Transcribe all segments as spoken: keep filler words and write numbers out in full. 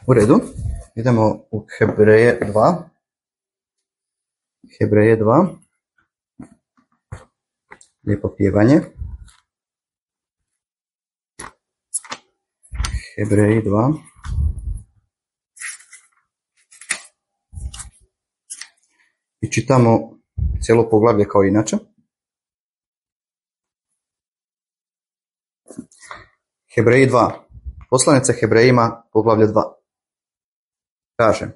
U redu, idemo u Hebreje dva. Hebreje dva. Lijepo pjevanje. Hebreji dva. I čitamo cijelo poglavlje kao inače. Hebreji dva. Poslanica Hebrejima, poglavlje dva. Kaže,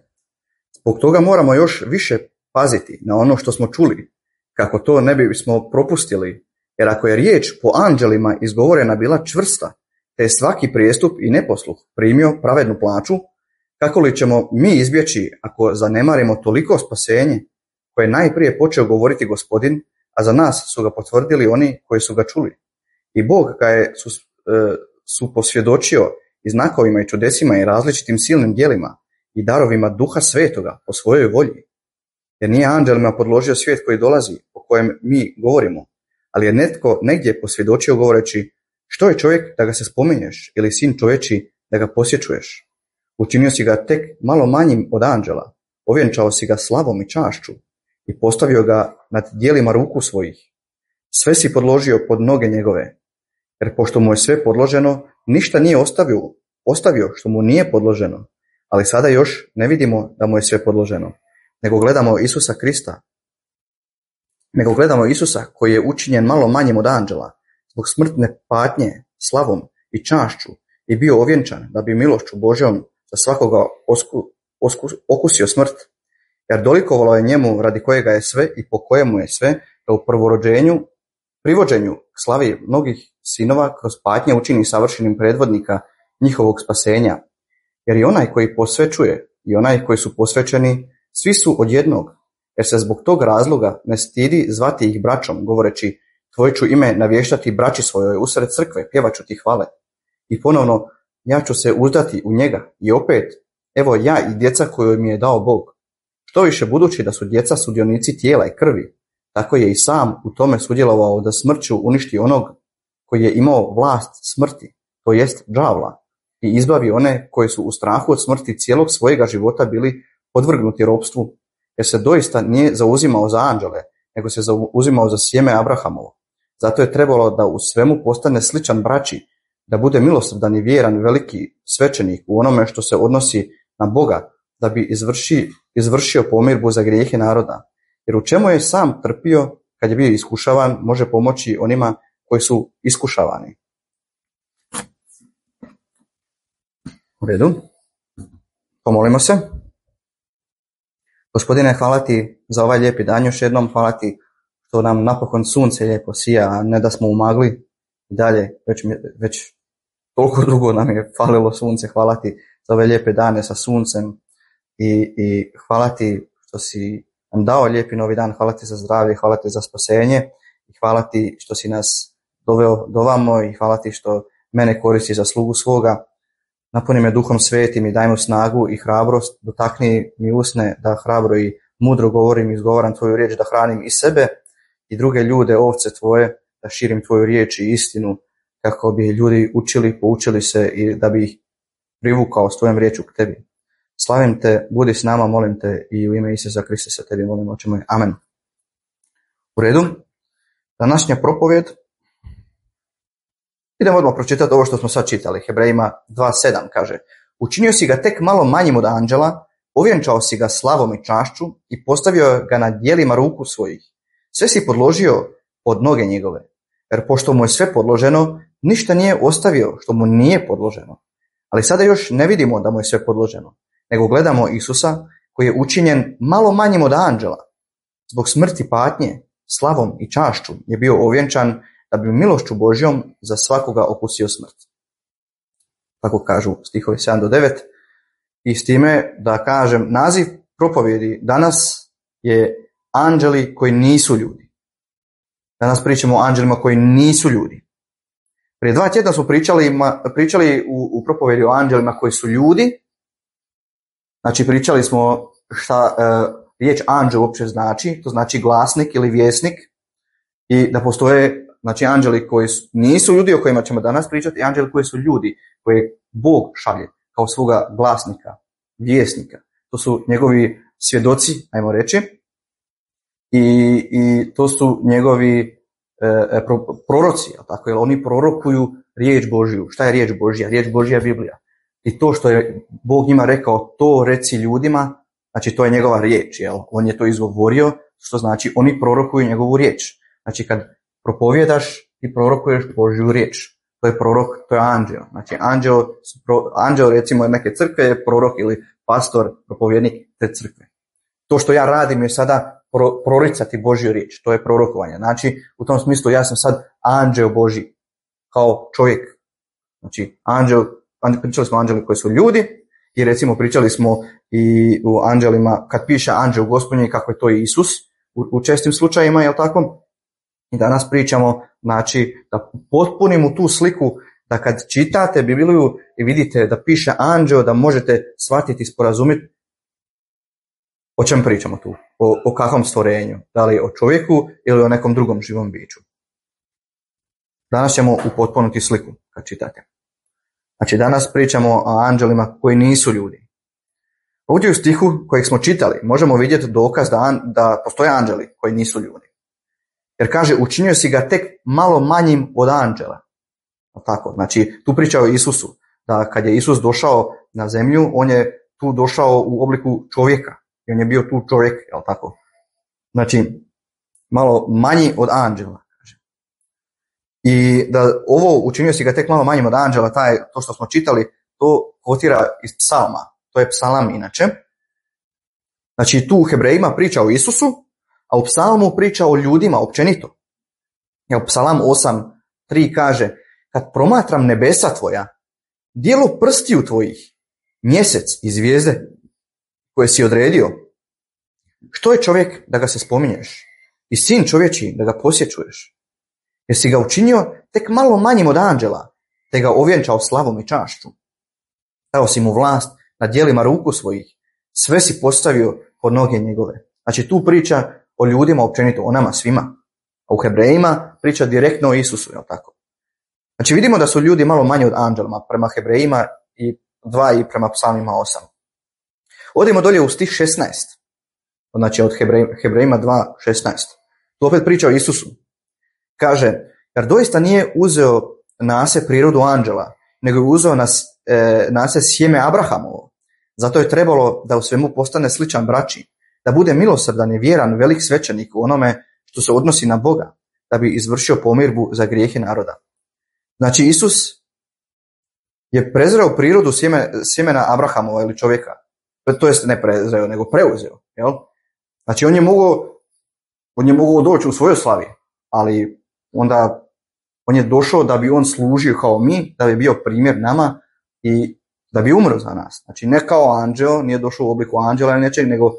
zbog toga moramo još više paziti na ono što smo čuli, kako to ne bismo propustili, jer ako je riječ po anđelima izgovorena bila čvrsta, te je svaki prijestup i neposluh primio pravednu plaću, kako li ćemo mi izbjeći ako zanemarimo toliko spasenje koje je najprije počeo govoriti Gospodin, a za nas su ga potvrdili oni koji su ga čuli. I Bog ga je su, e, su posvjedočio i znakovima i čudesima i različitim silnim djelima i darovima Duha Svetoga po svojoj volji. Jer nije anđelima podložio svijet koji dolazi, o kojem mi govorimo, ali je netko negdje posvjedočio govoreći, što je čovjek da ga se spominješ ili sin čovječi da ga posjećuješ. Učinio si ga tek malo manjim od anđela, ovjenčao si ga slavom i čašću i postavio ga nad djelima ruku svojih. Sve si podložio pod noge njegove, jer pošto mu je sve podloženo, ništa nije ostavio, ostavio što mu nije podloženo, ali sada još ne vidimo da mu je sve podloženo, nego gledamo Isusa Krista, nego gledamo Isusa koji je učinjen malo manjim od anđela, zbog smrtne patnje, slavom i čašću i bio ovjenčan da bi milošću Božjom za svakoga osku, osku, okusio smrt, jer dolikovalo je njemu radi kojega je sve i po kojemu je sve, da u prvorođenju, privođenju k slavi mnogih sinova kroz patnje učini savršenim predvodnika njihovog spasenja. Jer i onaj koji posvećuje i onaj koji su posvećeni, svi su od jednog, jer se zbog tog razloga ne stidi zvati ih braćom, govoreći, tvoje ću ime navještati braći svojoj usred crkve, pjevaću ti hvale. I ponovno, ja ću se uzdati u njega. I opet, evo ja i djeca koju mi je dao Bog. Što više budući da su djeca sudionici tijela i krvi, tako je i sam u tome sudjelovao da smrću uništi onog koji je imao vlast smrti, to jest đavla, i izbavi one koji su u strahu od smrti cijelog svojega života bili podvrgnuti ropstvu, jer se doista nije zauzimao za anđele, nego se zauzimao za sjeme Abrahamovo. Zato je trebalo da u svemu postane sličan braći, da bude milosrdan i vjeran veliki svećenik u onome što se odnosi na Boga, da bi izvrši, izvršio pomirbu za grijehe naroda. Jer u čemu je sam trpio kad je bio iskušavan, može pomoći onima koji su iskušavani. U redu. Pomolimo se. Gospodine, hvala ti za ovaj lijepi dan još jednom. Hvala ti što nam napokon sunce lijepo sija, a ne da smo u magli i dalje. Već, već toliko dugo nam je falilo sunce. Hvala ti za ove lijepe dane sa suncem i, i hvala ti što si nam dao lijepi novi dan. Hvala ti za zdravlje, hvala ti za spasenje i hvala ti što si nas doveo do vamo i hvala ti što mene koristi za slugu svoga. Napuni me Duhom Svetim i daj mu snagu i hrabrost, dotakni mi usne da hrabro i mudro govorim i izgovaram tvoju riječ, da hranim i sebe i druge ljude, ovce tvoje, da širim tvoju riječ i istinu, kako bi ljudi učili, poučili se i da bi ih privukao s tvojom riječu k tebi. Slavim te, budi s nama, molim te i u ime Isusa Krista se tebi molim, oče moj. Amen. U redu, današnja propovjed. Idemo odmah pročitati ovo što smo sad čitali. Hebrejima dva sedam kaže, učinio si ga tek malo manjim od anđela, ovjenčao si ga slavom i čašću i postavio ga na djelima ruku svojih. Sve si podložio pod noge njegove, jer pošto mu je sve podloženo, ništa nije ostavio što mu nije podloženo. Ali sada još ne vidimo da mu je sve podloženo, nego gledamo Isusa koji je učinjen malo manjim od anđela. Zbog smrti patnje, slavom i čašću je bio ovjenčan da bi milošću Božjom za svakoga okusio smrt. Tako kažu stihovi sedam do devet. I s time da kažem, naziv propovjedi danas je anđeli koji nisu ljudi. Danas pričamo o anđelima koji nisu ljudi. Prije dva tjedna smo pričali, pričali u, u propovjedi o anđelima koji su ljudi. Znači pričali smo šta e, riječ anđel uopće znači. To znači glasnik ili vjesnik. I da postoje znači anđeli koji su, nisu ljudi o kojima ćemo danas pričati, i anđeli koji su ljudi, koje Bog šalje kao svoga glasnika vjesnika. To su njegovi svjedoci, ajmo reći, i, i to su njegovi e, pro, proroci, tako, jer oni prorokuju riječ Božju. Šta je riječ Božja? Riječ Božja je Biblija. I to što je Bog njima rekao, to reci ljudima, znači to je njegova riječ, jel? On je to izgovorio, što znači oni prorokuju njegovu riječ. Znači kad propovjedaš, ti prorokuješ Božju riječ. To je prorok, to je anđeo. Znači anđeo, anđeo recimo neke crkve je prorok ili pastor, propovjednik te crkve. To što ja radim je sada pro, proricati Božju riječ, to je prorokovanje. Znači u tom smislu ja sam sad anđeo Božji, kao čovjek. Znači anđeo, pričali smo o anđeli koji su ljudi i recimo pričali smo i u anđelima, kad piše anđeo Gospodnji kako je to Isus, u, u čestim slučajima, jel tako? I danas pričamo, znači, da potpunimo tu sliku, da kad čitate Bibliju i vidite da piše anđeo, da možete shvatiti i sporazumjeti o čem pričamo tu, o, o kakvom stvorenju, da li o čovjeku ili o nekom drugom živom biću. Danas ćemo upotpuniti sliku kad čitate. Znači, danas pričamo o anđelima koji nisu ljudi. Ovdje u stihu kojeg smo čitali možemo vidjeti dokaz da, da postoje anđeli koji nisu ljudi. Jer kaže, učinio si ga tek malo manjim od anđela. Tako, znači, tu priča o Isusu, da kad je Isus došao na zemlju, on je tu došao u obliku čovjeka. I on je bio tu čovjek, jel tako? Znači, malo manji od anđela. Kaže. I da ovo učinio si ga tek malo manjim od anđela, taj, to što smo čitali, to kotira iz psalma. To je psalam inače. Znači, tu u Hebrejima priča o Isusu, a u psalmu priča o ljudima općenito. Jer psalam osam tri kaže, kad promatram nebesa tvoja, dijelo prstiju tvojih, mjesec i zvijezde koje si odredio, što je čovjek da ga se spominješ i sin čovječiji da ga posjećuješ? Jer si ga učinio tek malo manjim od anđela, te ga ovjenčao slavom i čašću. Dao si mu vlast nad djelima ruku svojih, sve si postavio pod noge njegove. Znači tu priča o ljudima općenito, o nama svima. A u Hebrejima priča direktno o Isusu, jel tako? Znači vidimo da su ljudi malo manje od anđelima prema Hebrejima i dva i prema psalmima osam. Odimo dolje u stih šesnaest. Znači od Hebrejima dva šesnaest. Tu opet priča o Isusu. Kaže, jer doista nije uzeo na se prirodu anđela, nego je uzeo na, e, na se sjeme Abrahamovo. Zato je trebalo da u svemu postane sličan braći, da bude milosrdan i vjeran velik svećenik u onome što se odnosi na Boga, da bi izvršio pomirbu za grijehe naroda. Znači Isus je prezreo prirodu sjeme, sjemena Abrahamova ili čovjeka. To jest ne prezreo, nego preuzeo. Jel? Znači on je mogao, on je mogao doći u svojoj slavi, ali onda on je došao da bi on služio kao mi, da bi bio primjer nama i da bi umro za nas. Znači ne kao anđeo, nije došao u obliku anđela ili nečeg, nego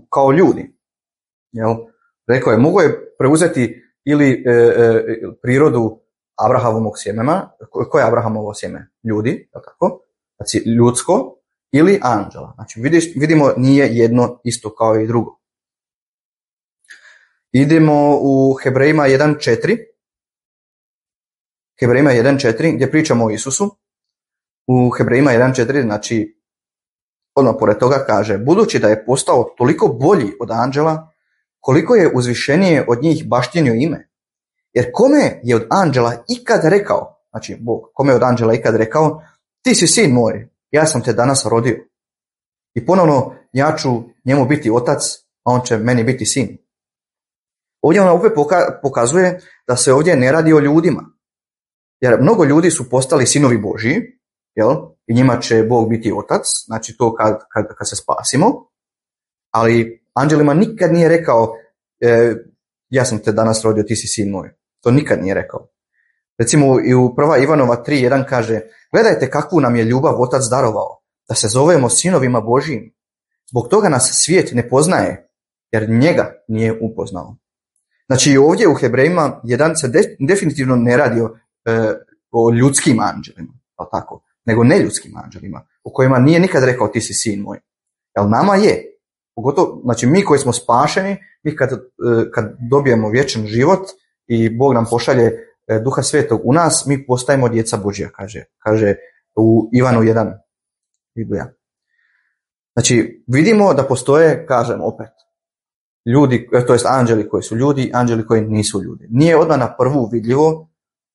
kao ljudi. Jel? Rekao je, mogao je preuzeti ili e, e, prirodu Abrahamovog sjemena. Koje je Abrahamovo sjeme? Ljudi, tako? Znači ljudsko ili anđela. Znači vidiš, vidimo nije jedno isto kao i drugo. Idemo u Hebrejima jedan četiri. Hebrejima jedan četiri gdje pričamo o Isusu. U Hebrejima jedan četiri, znači odmah pored toga kaže, budući da je postao toliko bolji od anđela, koliko je uzvišenije od njih baštinio ime. Jer kome je od anđela ikad rekao, znači Bog, kome je od anđela ikad rekao, ti si sin moj, ja sam te danas rodio. I ponovno ja ću njemu biti otac, a on će meni biti sin. Ovdje ona opet pokazuje da se ovdje ne radi o ljudima. Jer mnogo ljudi su postali sinovi Božji, jel? I njima će Bog biti otac, znači to kad, kad, kad se spasimo. Ali anđelima nikad nije rekao, e, ja sam te danas rodio, ti si sin moj. To nikad nije rekao. Recimo i u prva Ivanova tri jedan kaže, gledajte kakvu nam je ljubav otac darovao, da se zovemo sinovima Božjim. Zbog toga nas svijet ne poznaje, jer njega nije upoznao. Znači i ovdje u Hebrejima jedan se de, definitivno ne radi o, e, o ljudskim anđelima, tako, nego neljudskim anđelima, u kojima nije nikad rekao ti si sin moj. Jel nama je, pogotovo, znači mi koji smo spašeni, mi kad, kad dobijemo vječan život i Bog nam pošalje Duha Svetog u nas, mi postajemo djeca Božja, kaže, kaže u Ivanu jedan. Biblija. Znači, vidimo da postoje, kažem opet, ljudi, to jest anđeli koji su ljudi, anđeli koji nisu ljudi. Nije odmah na prvu vidljivo,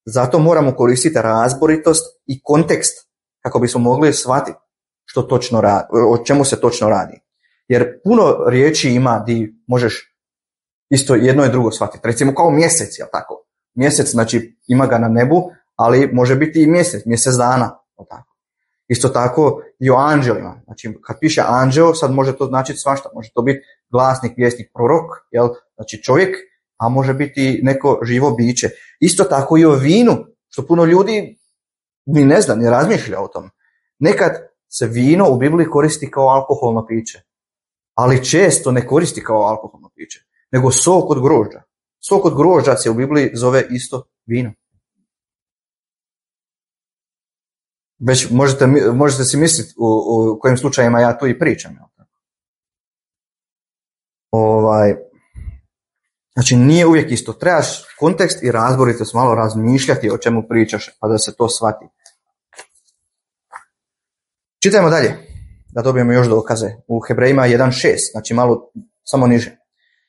zato moramo koristiti razboritost i kontekst kako bismo mogli shvatiti što točno radi, o čemu se točno radi. Jer puno riječi ima di možeš isto jedno i drugo shvatiti. Recimo kao mjesec, jel tako? Mjesec, znači ima ga na nebu, ali može biti i mjesec, mjesec dana, jel tako? Isto tako i o anđelima. Znači, kad piše anđeo, sad može to značiti svašta. Može to biti glasnik, vjesnik, prorok, jel? Znači čovjek, a može biti neko živo biće. Isto tako i o vinu, što puno ljudi ni ne zna, ni razmišlja o tom. Nekad se vino u Bibliji koristi kao alkoholno piće, ali često ne koristi kao alkoholno piće, nego sok od grožđa. Sok od grožđa se u Bibliji zove isto vino. Već možete, možete si misliti u, u kojim slučajima ja tu i pričam. Ovaj, znači nije uvijek isto. Trebaš kontekst i razboritost malo razmišljati o čemu pričaš, pa da se to shvati. Čitajmo dalje, da dobijemo još dokaze. U Hebrejima jedan šest, znači malo samo niže.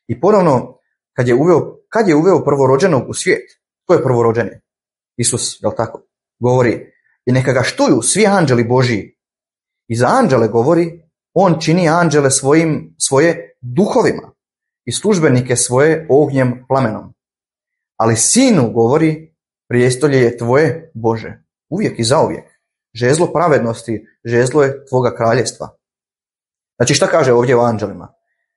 I ponovno, kad je uveo, kad je uveo prvorođenog u svijet, ko je prvorođeni? Isus, jel tako? Govori, i neka ga štuju svi anđeli Božiji. I za anđele govori, on čini anđele svojim, svoje duhovima i službenike svoje ognjem plamenom. Ali sinu govori, prijestolje je tvoje, Bože, uvijek i zauvijek. Žezlo pravednosti, žezlo je tvoga kraljevstva. Znači šta kaže ovdje o anđelima?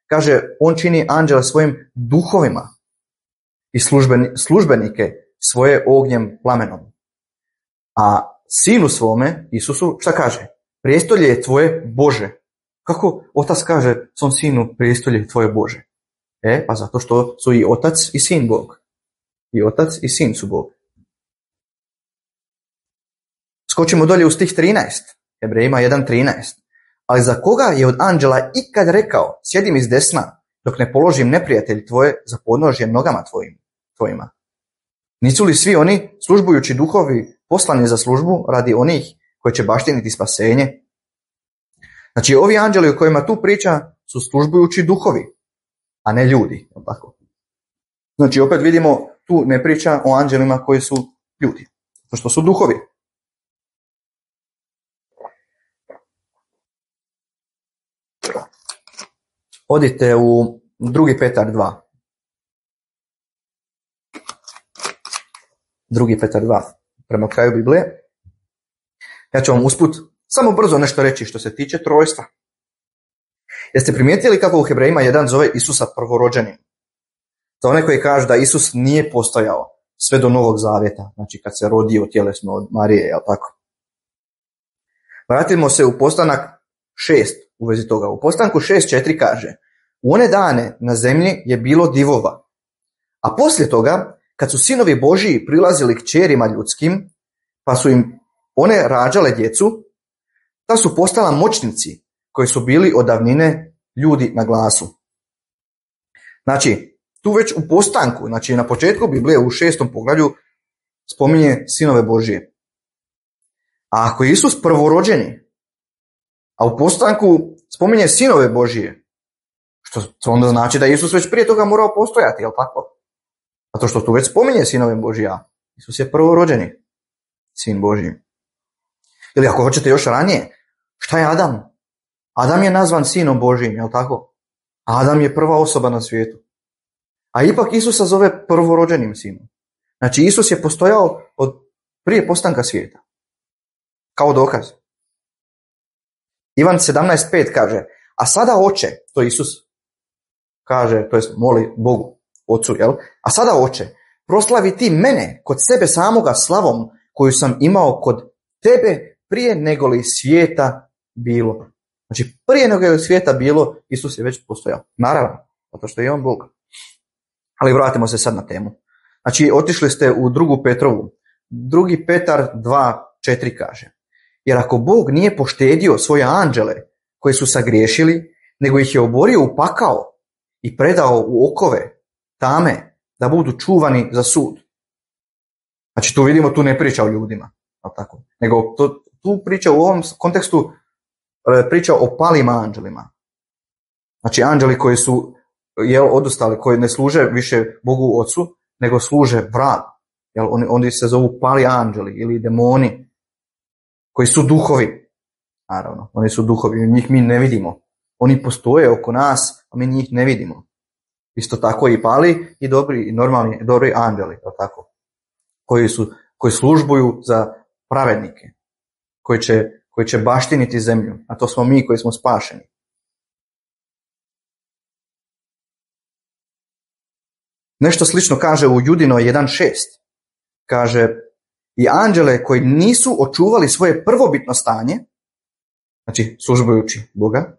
Kaže, on čini anđele svojim duhovima i službenike svoje ognjem plamenom. A sinu svome, Isusu, šta kaže? Prijestolje je tvoje, Bože. Kako otac kaže svom sinu, prijestolje je tvoje, Bože? E, pa zato što su i otac i sin Bog. I otac i sin su Bog. Skočimo dolje u stih trinaest. Hebrejima jedan trinaest. Ali za koga je od anđela ikad rekao, sjedim iz desna, dok ne položim neprijatelj tvoje za podnožje nogama tvojim, tvojima? Nisu li svi oni, službujući duhovi, poslani za službu radi onih koji će baštiniti spasenje? Znači, ovi anđeli o kojima tu priča su službujući duhovi, a ne ljudi. Tako. Znači, opet vidimo, tu ne priča o anđelima koji su ljudi, to što su duhovi. Odite u drugi Petar dva. drugi Petar dva, prema kraju Biblije. Ja ću vam usput samo brzo nešto reći što se tiče trojstva. Jeste primijetili kako u Hebrejima jedan zove Isusa prvorođenim? Za one koji kažu da Isus nije postojao sve do Novog Zavjeta, znači kad se rodio tjelesno od Marije, jel tako? Vratimo se u postanak šest u vezi toga. U postanku šest četiri kaže, u one dane na zemlji je bilo divova, a poslije toga, kad su sinovi Božiji prilazili kćerima ljudskim, pa su im one rađale djecu, ta su postala moćnici koji su bili od davnine ljudi na glasu. Znači, tu već u postanku, znači na početku Biblije u šestom poglavlju spominje sinove Božije. A ako je Isus prvorođeni, a u postanku spominje sinove Božije, što onda znači da je Isus već prije toga morao postojati, jel tako? Zato što tu već spominje sinove Božija. Isus je prvorođeni sin Božji. Ili ako hoćete još ranije, šta je Adam? Adam je nazvan sinom Božjim, jel tako? Adam je prva osoba na svijetu. A ipak Isusa zove prvorođenim sinom. Znači Isus je postojao od prije postanka svijeta. Kao dokaz. Ivan sedamnaest pet kaže, a sada oče, to Isus kaže, to jest moli Bogu, Ocu, jel? A sada oče, proslavi ti mene kod sebe samoga slavom koju sam imao kod tebe prije nego li svijeta bilo. Znači prije nego li svijeta bilo, Isus je već postojao. Naravno, zato što je on Bog. Ali vratimo se sad na temu. Znači otišli ste u drugu Petrovu. Drugi Petar dva četiri kaže, jer ako Bog nije poštedio svoje anđele koji su sagriješili, nego ih je oborio u pakao i predao u okove tame da budu čuvani za sud. Znači tu vidimo, tu ne priča o ljudima, tako, nego to, tu priča u ovom kontekstu priča o palim anđelima. Znači anđeli koji su jel, odustali, koji ne služe više Bogu Ocu, nego služe vragu. Jel, oni, oni se zovu pali anđeli ili demoni, koji su duhovi. Naravno, oni su duhovi, njih mi ne vidimo. Oni postoje oko nas, a mi njih ne vidimo. Isto tako i pali i dobri, i normalni, dobri anđeli, tako, koji, su, koji službuju za pravednike, koji će, koji će baštiniti zemlju, a to smo mi koji smo spašeni. Nešto slično kaže u Judino jedan šest. Kaže, i anđele koji nisu očuvali svoje prvobitno stanje, znači službujući Boga,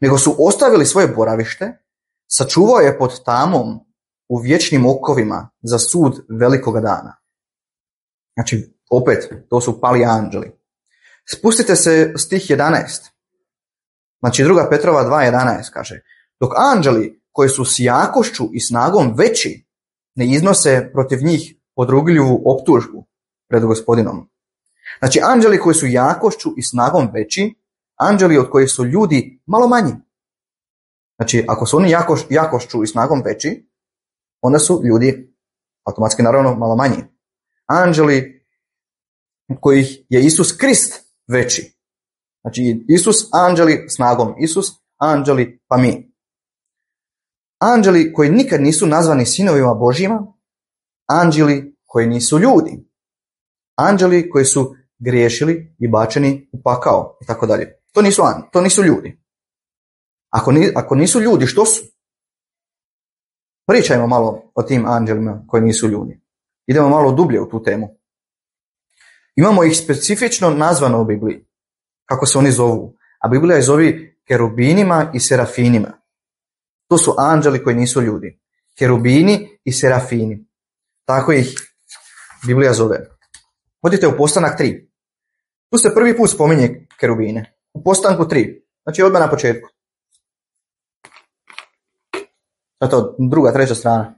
nego su ostavili svoje boravište, sačuvao je pod tamom u vječnim okovima za sud velikoga dana. Znači, opet, to su pali anđeli. Spustite se stih jedanaest. Znači, druga Petrova dva jedanaest kaže, dok anđeli koji su s jakošću i snagom veći ne iznose protiv njih podrugljivu optužbu pred Gospodinom. Znači, anđeli koji su jakošću i snagom veći, anđeli od kojih su ljudi malo manji. Znači, ako su oni jakoš, jakošću i snagom veći, onda su ljudi automatski naravno malo manji. Anđeli kojih je Isus Krist veći. Znači, Isus, anđeli snagom Isus, anđeli pa mi. Anđeli koji nikad nisu nazvani sinovima Božjima, anđeli koji nisu ljudi, anđeli koji su griješili i bačeni u pakao i tako dalje. To nisu, to nisu ljudi. Ako, ni, ako nisu ljudi, što su? Pričajmo malo o tim anđelima koji nisu ljudi. Idemo malo dublje u tu temu. Imamo ih specifično nazvano u Bibliji. Kako se oni zovu? A Biblija ih zovi kerubinima i serafinima. To su anđeli koji nisu ljudi. Kerubini i serafini. Tako ih Biblija zove. Odite u Postanak tri. Tu se prvi put spominje kerubine. U Postanku tri. Znači odmah na početku. Zato druga, treća strana.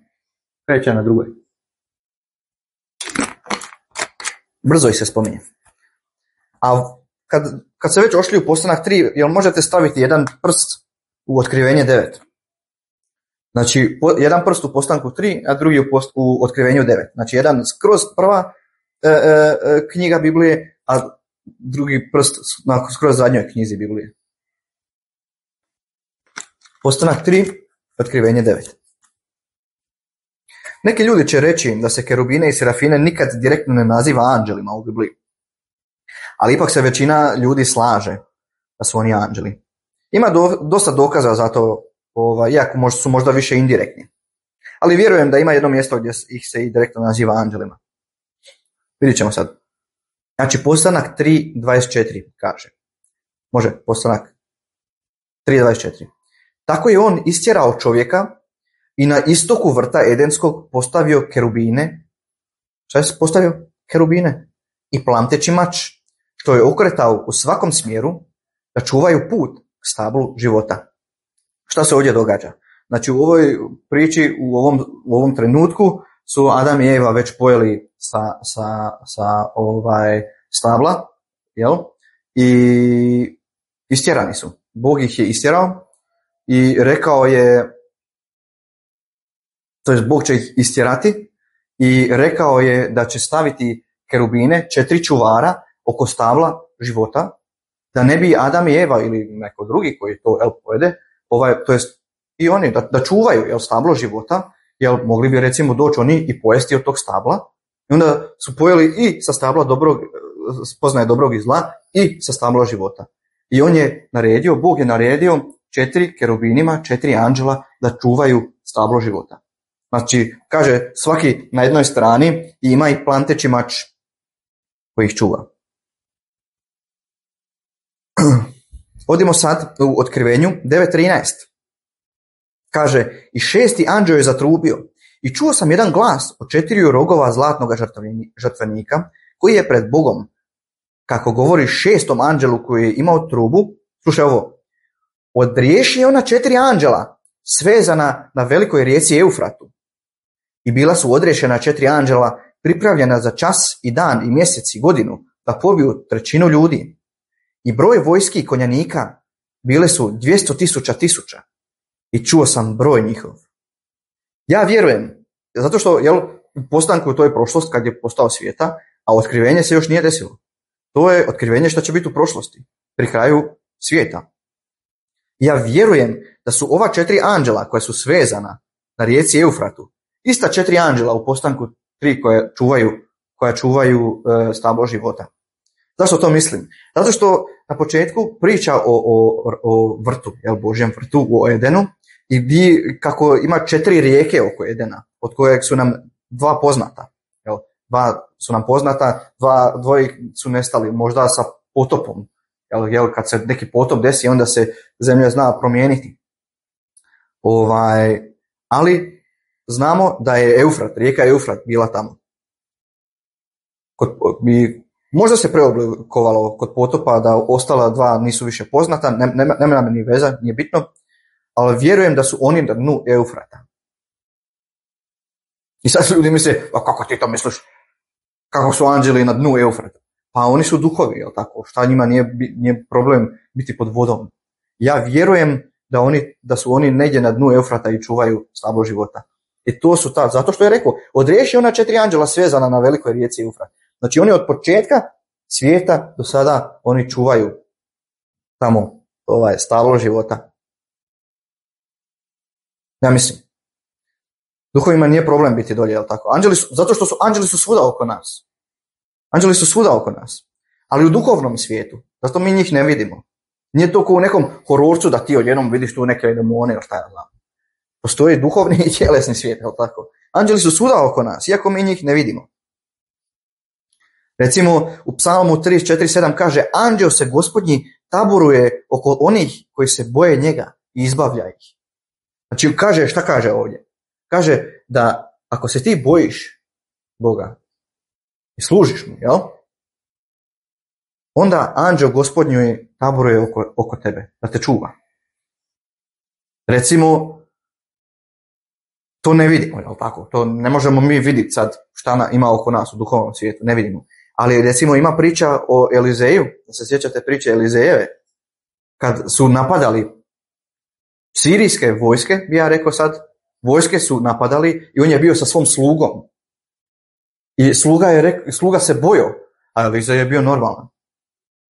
Kreće na drugoj. Brzo ih se spominje. A kad, kad se već ošli u Postanak tri, jel možete staviti jedan prst u Otkrivenje devet? Znači, jedan prst u Postanku tri, a drugi u, post, u Otkrivenju devet. Znači, jedan skroz prva e, e, knjiga Biblije, a drugi prst na skroz zadnjoj knjizi Biblije. Postanak tri, Otkrivenje devet. Neki ljudi će reći da se kerubine i serafine nikad direktno ne naziva anđelima u Bibliji. Ali ipak se većina ljudi slaže da su oni anđeli. Ima do, dosta dokaza za to, ovaj, iako možda su možda više indirektni. Ali vjerujem da ima jedno mjesto gdje ih se i direktno naziva anđelima. Vidjet ćemo sad. Znači, Postanak tri dvadeset četiri kaže. Može, Postanak tri dvadeset četiri. Tako je on istjerao čovjeka i na istoku vrta Edenskog postavio kerubine. Šta je postavio? Kerubine. I plamteći mač, što je okretao u svakom smjeru da čuvaju put k stablu života. Šta se ovdje događa? Znači, u ovoj priči, u ovom, u ovom trenutku su Adam i Eva već pojeli sa, sa, sa ovaj stabla, jel? I istjerani su. Bog ih je istjerao i rekao je, to jest Bog će ih istjerati i rekao je da će staviti kerubine, četiri čuvara oko stabla života, da ne bi Adam i Eva ili neko drugi koji to jel, pojede, ovaj, to jest i oni da, da čuvaju jel, stablo života, jel mogli bi recimo doći oni i pojesti od tog stabla, i onda su pojeli i sa stabla dobrog, spoznaje dobrog i zla i sa stabla života. I on je naredio, Bog je naredio četiri kerubinima, četiri anđela da čuvaju stablo života. Znači, kaže, svaki na jednoj strani ima i planteći mač koji ih čuva. Odimo sad u Otkrivenju devet trinaest. Kaže, i šesti anđeo je zatrubio i čuo sam jedan glas od četiriju rogova zlatnog žrtvenika koji je pred Bogom. Kako govori šestom anđelu koji je imao trubu, slušaj ovo, odriješi ona četiri anđela svezana na velikoj rijeci Eufratu. I bila su odriješena četiri anđela pripravljena za čas i dan i mjesec i godinu da pobiju trećinu ljudi. i broj vojski konjanika bile su dvjesto tisuća tisuća i čuo sam broj njihov. Ja vjerujem, zato što jel, u postanku to je prošlost kad je postao svijeta, a otkrivenje se još nije desilo. To je otkrivenje što će biti u prošlosti, pri kraju svijeta. Ja vjerujem da su ova četiri anđela koja su svezana na rijeci Eufratu, ista četiri anđela u postanku tri koja čuvaju, koja čuvaju e, stablo života. Zašto to mislim? Zato što na početku priča o, o, o vrtu, jel, Božjem vrtu u Edenu, i di, kako ima četiri rijeke oko Edena, od kojeg su nam dva poznata. Jel, dva su nam poznata, dva, dvoji su nestali, možda sa potopom. Jel, jel, kad se neki potop desi, onda se zemlja zna promijeniti. Ovaj, ali znamo da je Eufrat, rijeka Eufrat bila tamo. Kod, bi, možda se preoblikovalo kod potopa da ostala dva nisu više poznata, nema ne, ne, nam ni veza, nije bitno, ali vjerujem da su oni na dnu Eufrata. I sad ljudi misle, a kako ti to misliš? Kako su anđeli na dnu Eufrata? Pa oni su duhovi, jel tako? Šta njima nije, nije problem biti pod vodom? Ja vjerujem da, oni, da su oni negdje na dnu Eufrata i čuvaju stablo života. I to su ta, zato što je rekao, odriješi ona četiri anđela svezana na velikoj rijeci Eufrat. Znači oni od početka svijeta do sada oni čuvaju tamo ovaj stablo života. Ja mislim. Duhovima nije problem biti dolje, jel tako? Anđeli su, zato što su anđeli su svuda oko nas. Anđeli su svuda oko nas. Ali u duhovnom svijetu. Zato mi njih ne vidimo. Nije to kao u nekom hororcu da ti odjednom vidiš tu neke demone ili šta ja znam. Postoji duhovni i tjelesni svijet, jel tako? Anđeli su svuda oko nas, iako mi njih ne vidimo. Recimo u Psalmu trideset četiri sedam kaže, anđeo se Gospodnji taboruje oko onih koji se boje njega i izbavlja ih. Znači kaže, šta kaže ovdje? Kaže da ako se ti bojiš Boga i služiš mu, jel? Onda anđeo Gospodnju taboruje oko, oko tebe, da te čuva. Recimo, to ne vidimo, jel tako? To ne možemo mi vidjeti sad šta ima oko nas u duhovnom svijetu, ne vidimo. Ali recimo ima priča o Elizeju, da se sjećate priče Elizejeve, kad su napadali sirijske vojske, bi ja rekao sad, vojske su napadali i on je bio sa svom slugom. I sluga, je rek, sluga se bojao, a Elizej je bio normalan.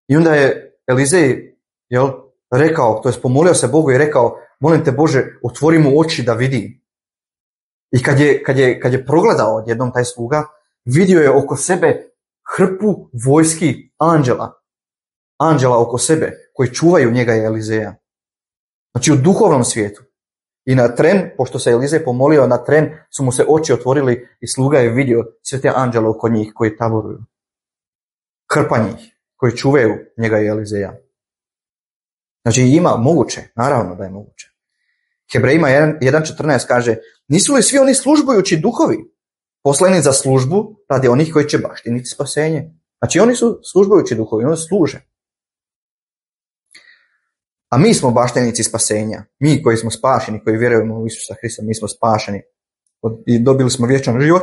I onda je Elizej jel, rekao, to je pomolio se Bogu i rekao, molim te Bože, otvori mu oči da vidi. I kad je, kad je, kad je progledao odjednom taj sluga, vidio je oko sebe hrpu vojski anđela. Anđela oko sebe, koji čuvaju njega i Elizeja. Znači u duhovnom svijetu. I na tren, pošto se Elizej pomolio, na tren su mu se oči otvorili i sluga je vidio sve te anđele oko njih koji taboruju. Hrpa njih, koji čuvaju njega i Elizeja. Znači ima moguće, naravno da je moguće. Hebrejima jedan četrnaest kaže, nisu li svi oni službujući duhovi poslani za službu radi onih koji će baštiniti spasenje? Znači oni su službujući duhovi, oni služe. A mi smo baštenici spasenja. Mi koji smo spašeni, koji vjerujemo u Isusa Hrista, mi smo spašeni. I dobili smo vječan život.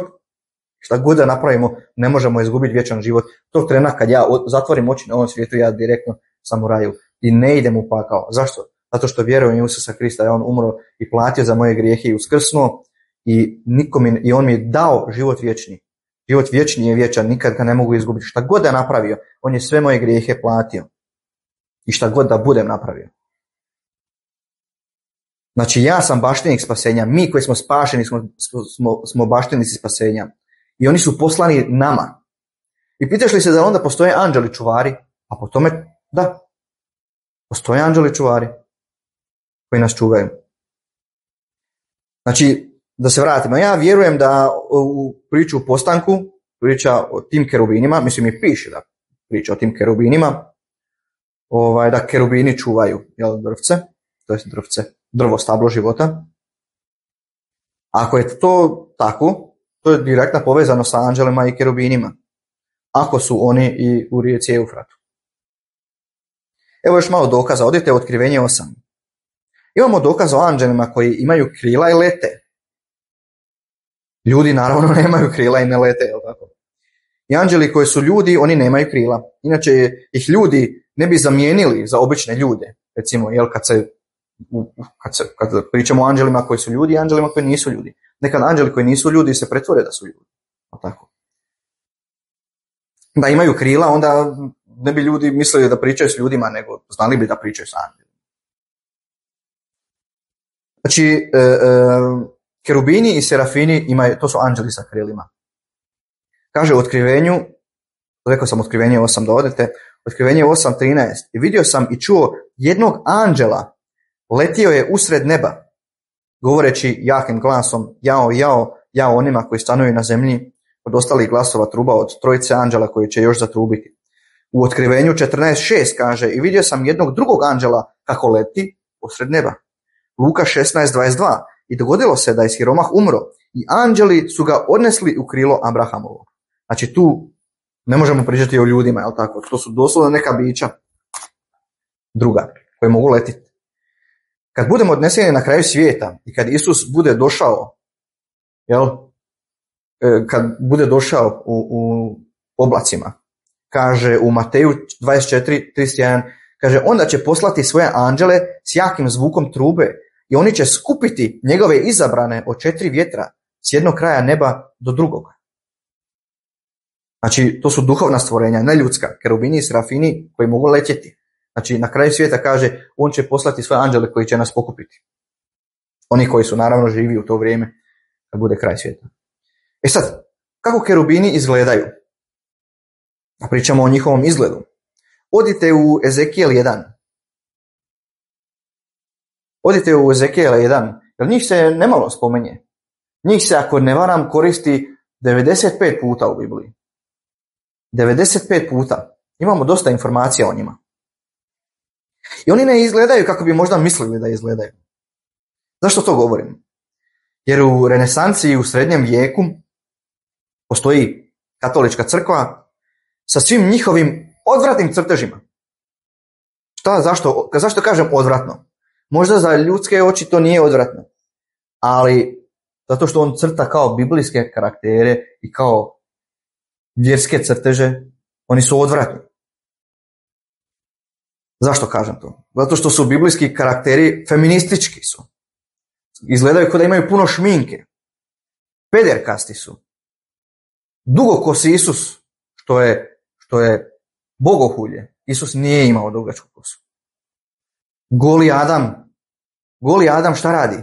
Šta god da napravimo, ne možemo izgubiti vječan život. Tog trena kad ja zatvorim oči na ovom svijetu, ja direktno sam u raju. I ne idem u pakao. Zašto? Zato što vjerujem u Isusa Hrista, je on umro i platio za moje grijehe i uskrsnuo. I, nikom, I on mi je dao život vječni. Život vječni je vječan, nikad ga ne mogu izgubiti. Šta god da napravio, on je sve moje grijehe platio. I šta god da budem napravio. Znači ja sam baštenik spasenja, mi koji smo spašeni smo, smo, smo baštenici spasenja. I oni su poslani nama. I pitaš li se da onda postoje anđeli čuvari? A po tome, da. Postoje anđeli čuvari koji nas čuvaju. Znači, da se vratimo, ja vjerujem da u priču o postanku, priča o tim kerubinima, mislim i piše da priča o tim kerubinima, ovaj, da kerubini čuvaju jel, drvce, to je drvce, drvo stablo života. Ako je to tako, to je direktno povezano sa anđelima i kerubinima, ako su oni i u rijeci Eufratu. Evo još malo dokaza, odite u Otkrivenje osam. Imamo dokaz o anđelima koji imaju krila i lete. Ljudi naravno nemaju krila i ne lete, jel tako? I anđeli koji su ljudi, oni nemaju krila. Inače ih ljudi ne bi zamijenili za obične ljude. Recimo, jel, kad se, kad, se, kad pričamo o anđelima koji su ljudi i anđelima koji nisu ljudi. Nekad anđeli koji nisu ljudi se pretvore da su ljudi. Tako. Da imaju krila, onda ne bi ljudi mislili da pričaju s ljudima, nego znali bi da pričaju s anđelima. Znači, e, e, kerubini i serafini imaju, to su anđeli sa krilima. Kaže u otkrivenju, rekao sam otkrivenje osam da odete, otkrivenje osam trinaest. I vidio sam i čuo jednog anđela, letio je usred neba, govoreći jakim glasom, jao, jao, jao onima koji stanuju na zemlji, od ostalih glasova truba od trojice anđela koji će još zatrubiti. U otkrivenju četrnaest šest kaže, i vidio sam jednog drugog anđela kako leti usred neba. Luka šesnaest dvadeset dva. I dogodilo se da je siromah umro i anđeli su ga odnesli u krilo Abrahamovo. Znači tu ne možemo pričati o ljudima, jel tako? To su doslovno neka bića druga koje mogu letiti. Kad budemo odneseni na kraju svijeta i kad Isus bude došao, jel? Kad bude došao u, u oblacima, kaže u Mateju dvadeset četiri trideset jedan, kaže onda će poslati svoje anđele s jakim zvukom trube i oni će skupiti njegove izabrane od četiri vjetra s jednog kraja neba do drugog. Znači, to su duhovna stvorenja, ne ljudska, kerubini i serafini koji mogu letjeti. Znači, na kraju svijeta kaže, on će poslati svoje anđele koji će nas pokupiti. Oni koji su naravno živi u to vrijeme kad bude kraj svijeta. E sad, kako kerubini izgledaju? A pričamo o njihovom izgledu. Odite u Ezekijel jedan. Odite u Ezekijel jedan, jer njih se nemalo spomenje. Njih se, ako ne varam, koristi devedeset pet puta u Bibliji. devedeset pet puta. Imamo dosta informacija o njima. I oni ne izgledaju kako bi možda mislili da izgledaju. Zašto to govorim? Jer u renesansi i u srednjem vijeku postoji katolička crkva sa svim njihovim odvratnim crtežima. Šta, zašto, zašto kažem odvratno? Možda za ljudske oči to nije odvratno, ali zato što on crta kao biblijske karaktere i kao vjerske crteže, oni su odvratni. Zašto kažem to? Zato što su biblijski karakteri feministički su. Izgledaju kao da imaju puno šminke. Pederkasti su. Dugokosi Isus, što je, što je bogohulje. Isus nije imao dugačku kosu. Goli Adam. Goli Adam šta radi?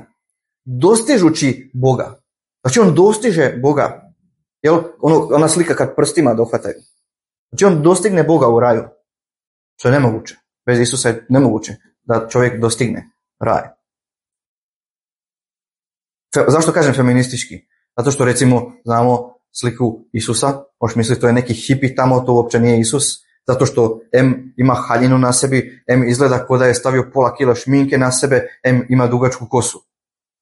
Dostižući Boga. Znači on dostiže Boga. Jel? Ono, ona slika kad prstima dohvataju. Znači on dostigne Boga u raju. Što je nemoguće. Bez Isusa je nemoguće da čovjek dostigne raj. Fe, zašto kažem feministički? Zato što recimo znamo sliku Isusa, možeš misliti to je neki hipi tamo, to uopće nije Isus, zato što em ima haljinu na sebi, em izgleda kao da je stavio pola kila šminke na sebe, em ima dugačku kosu.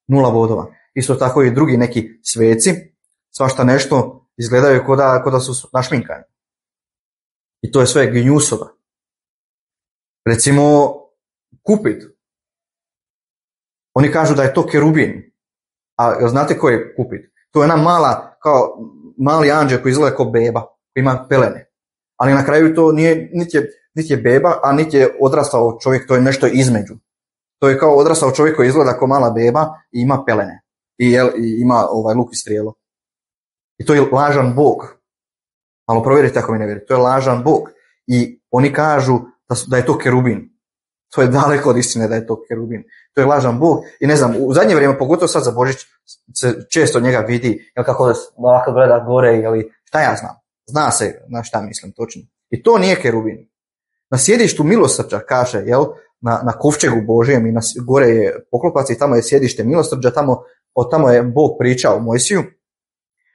Nula bodova. Isto tako i drugi neki sveci, svašta nešto izgledaju kao da, kao da su našminkani. I to je sve gnjusova. Recimo Kupid. Oni kažu da je to kerubin. A znate ko je Kupid? To je ona mala, kao mali anđel koji izgleda kao beba, koji ima pelene. Ali na kraju to nije, niti je, niti je beba, a niti je odrastao čovjek, to je nešto između. To je kao odrastao čovjek koji izgleda kao mala beba i ima pelene. I, jel, i ima ovaj luk i strijelo. I to je lažan Bog. Malo provjerite ako mi ne vjerujete. To je lažan Bog. I oni kažu da, su, da je to kerubin. To je daleko od istine da je to kerubin. To je lažan Bog. I ne znam, u zadnje vrijeme, pogotovo sad za Božić, se često njega vidi, jel kako ovako gleda gore, ili šta ja znam. Zna se na šta mislim točno. I to nije kerubin. Na sjedištu milosrđa kaže, jel, na, na kovčegu Božijem i na, gore je poklopac i tamo je sjedište milosrđa, tamo, od tamo je Bog pričao Mojsiju.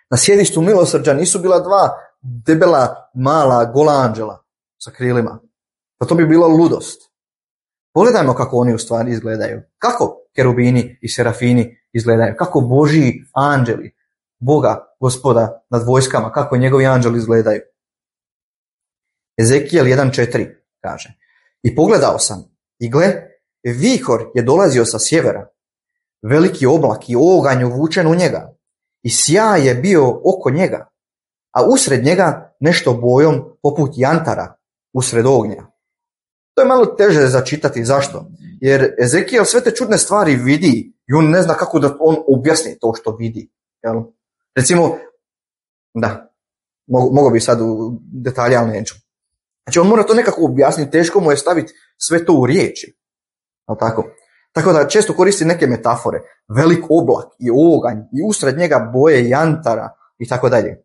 Na sjedištu milosrđa nisu bila dva debela, mala, gola anđela sa krilima. Pa to bi bilo ludost. Pogledajmo kako oni u stvari izgledaju. Kako kerubini i serafini izgledaju. Kako Božji anđeli, Boga, Gospoda nad vojskama, kako njegovi anđeli izgledaju. Ezekijel jedan četiri kaže: I pogledao sam, i gle, vihor je dolazio sa sjevera, veliki oblak i oganj uvučen u njega, i sjaj je bio oko njega, a usred njega nešto bojom poput jantara usred ognja. To je malo teže začitati. Zašto? Jer Ezekijel sve te čudne stvari vidi i on ne zna kako da on objasni to što vidi. Jel? Recimo, da, mogu bi sad u detalje, ali neću. Znači on mora to nekako objasniti, teško mu je staviti sve to u riječi. Jel tako? Tako da često koristi neke metafore. Velik oblak i oganj i usred njega boje jantara i tako dalje.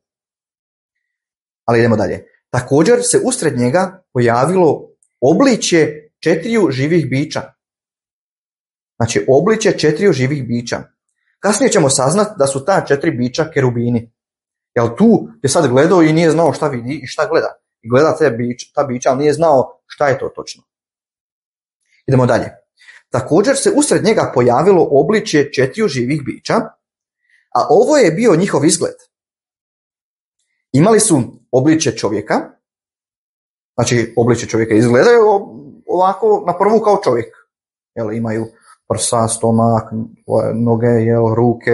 Ali idemo dalje. Također se usred njega pojavilo obličje četiriju živih bića. Znači obličje četiriju živih bića. Kasnije ćemo saznati da su ta četiri bića kerubini. Jel tu je sad gledao i nije znao šta vidi i šta gleda. I gleda te bića, ta bića, ali nije znao šta je to točno. Idemo dalje. Također se usred njega pojavilo obličje četiriju živih bića, a ovo je bio njihov izgled. Imali su obličje čovjeka, znači obličje čovjeka izgledaju ovako na prvu kao čovjek. Jel, imaju prsa, stomak, noge, jel, ruke,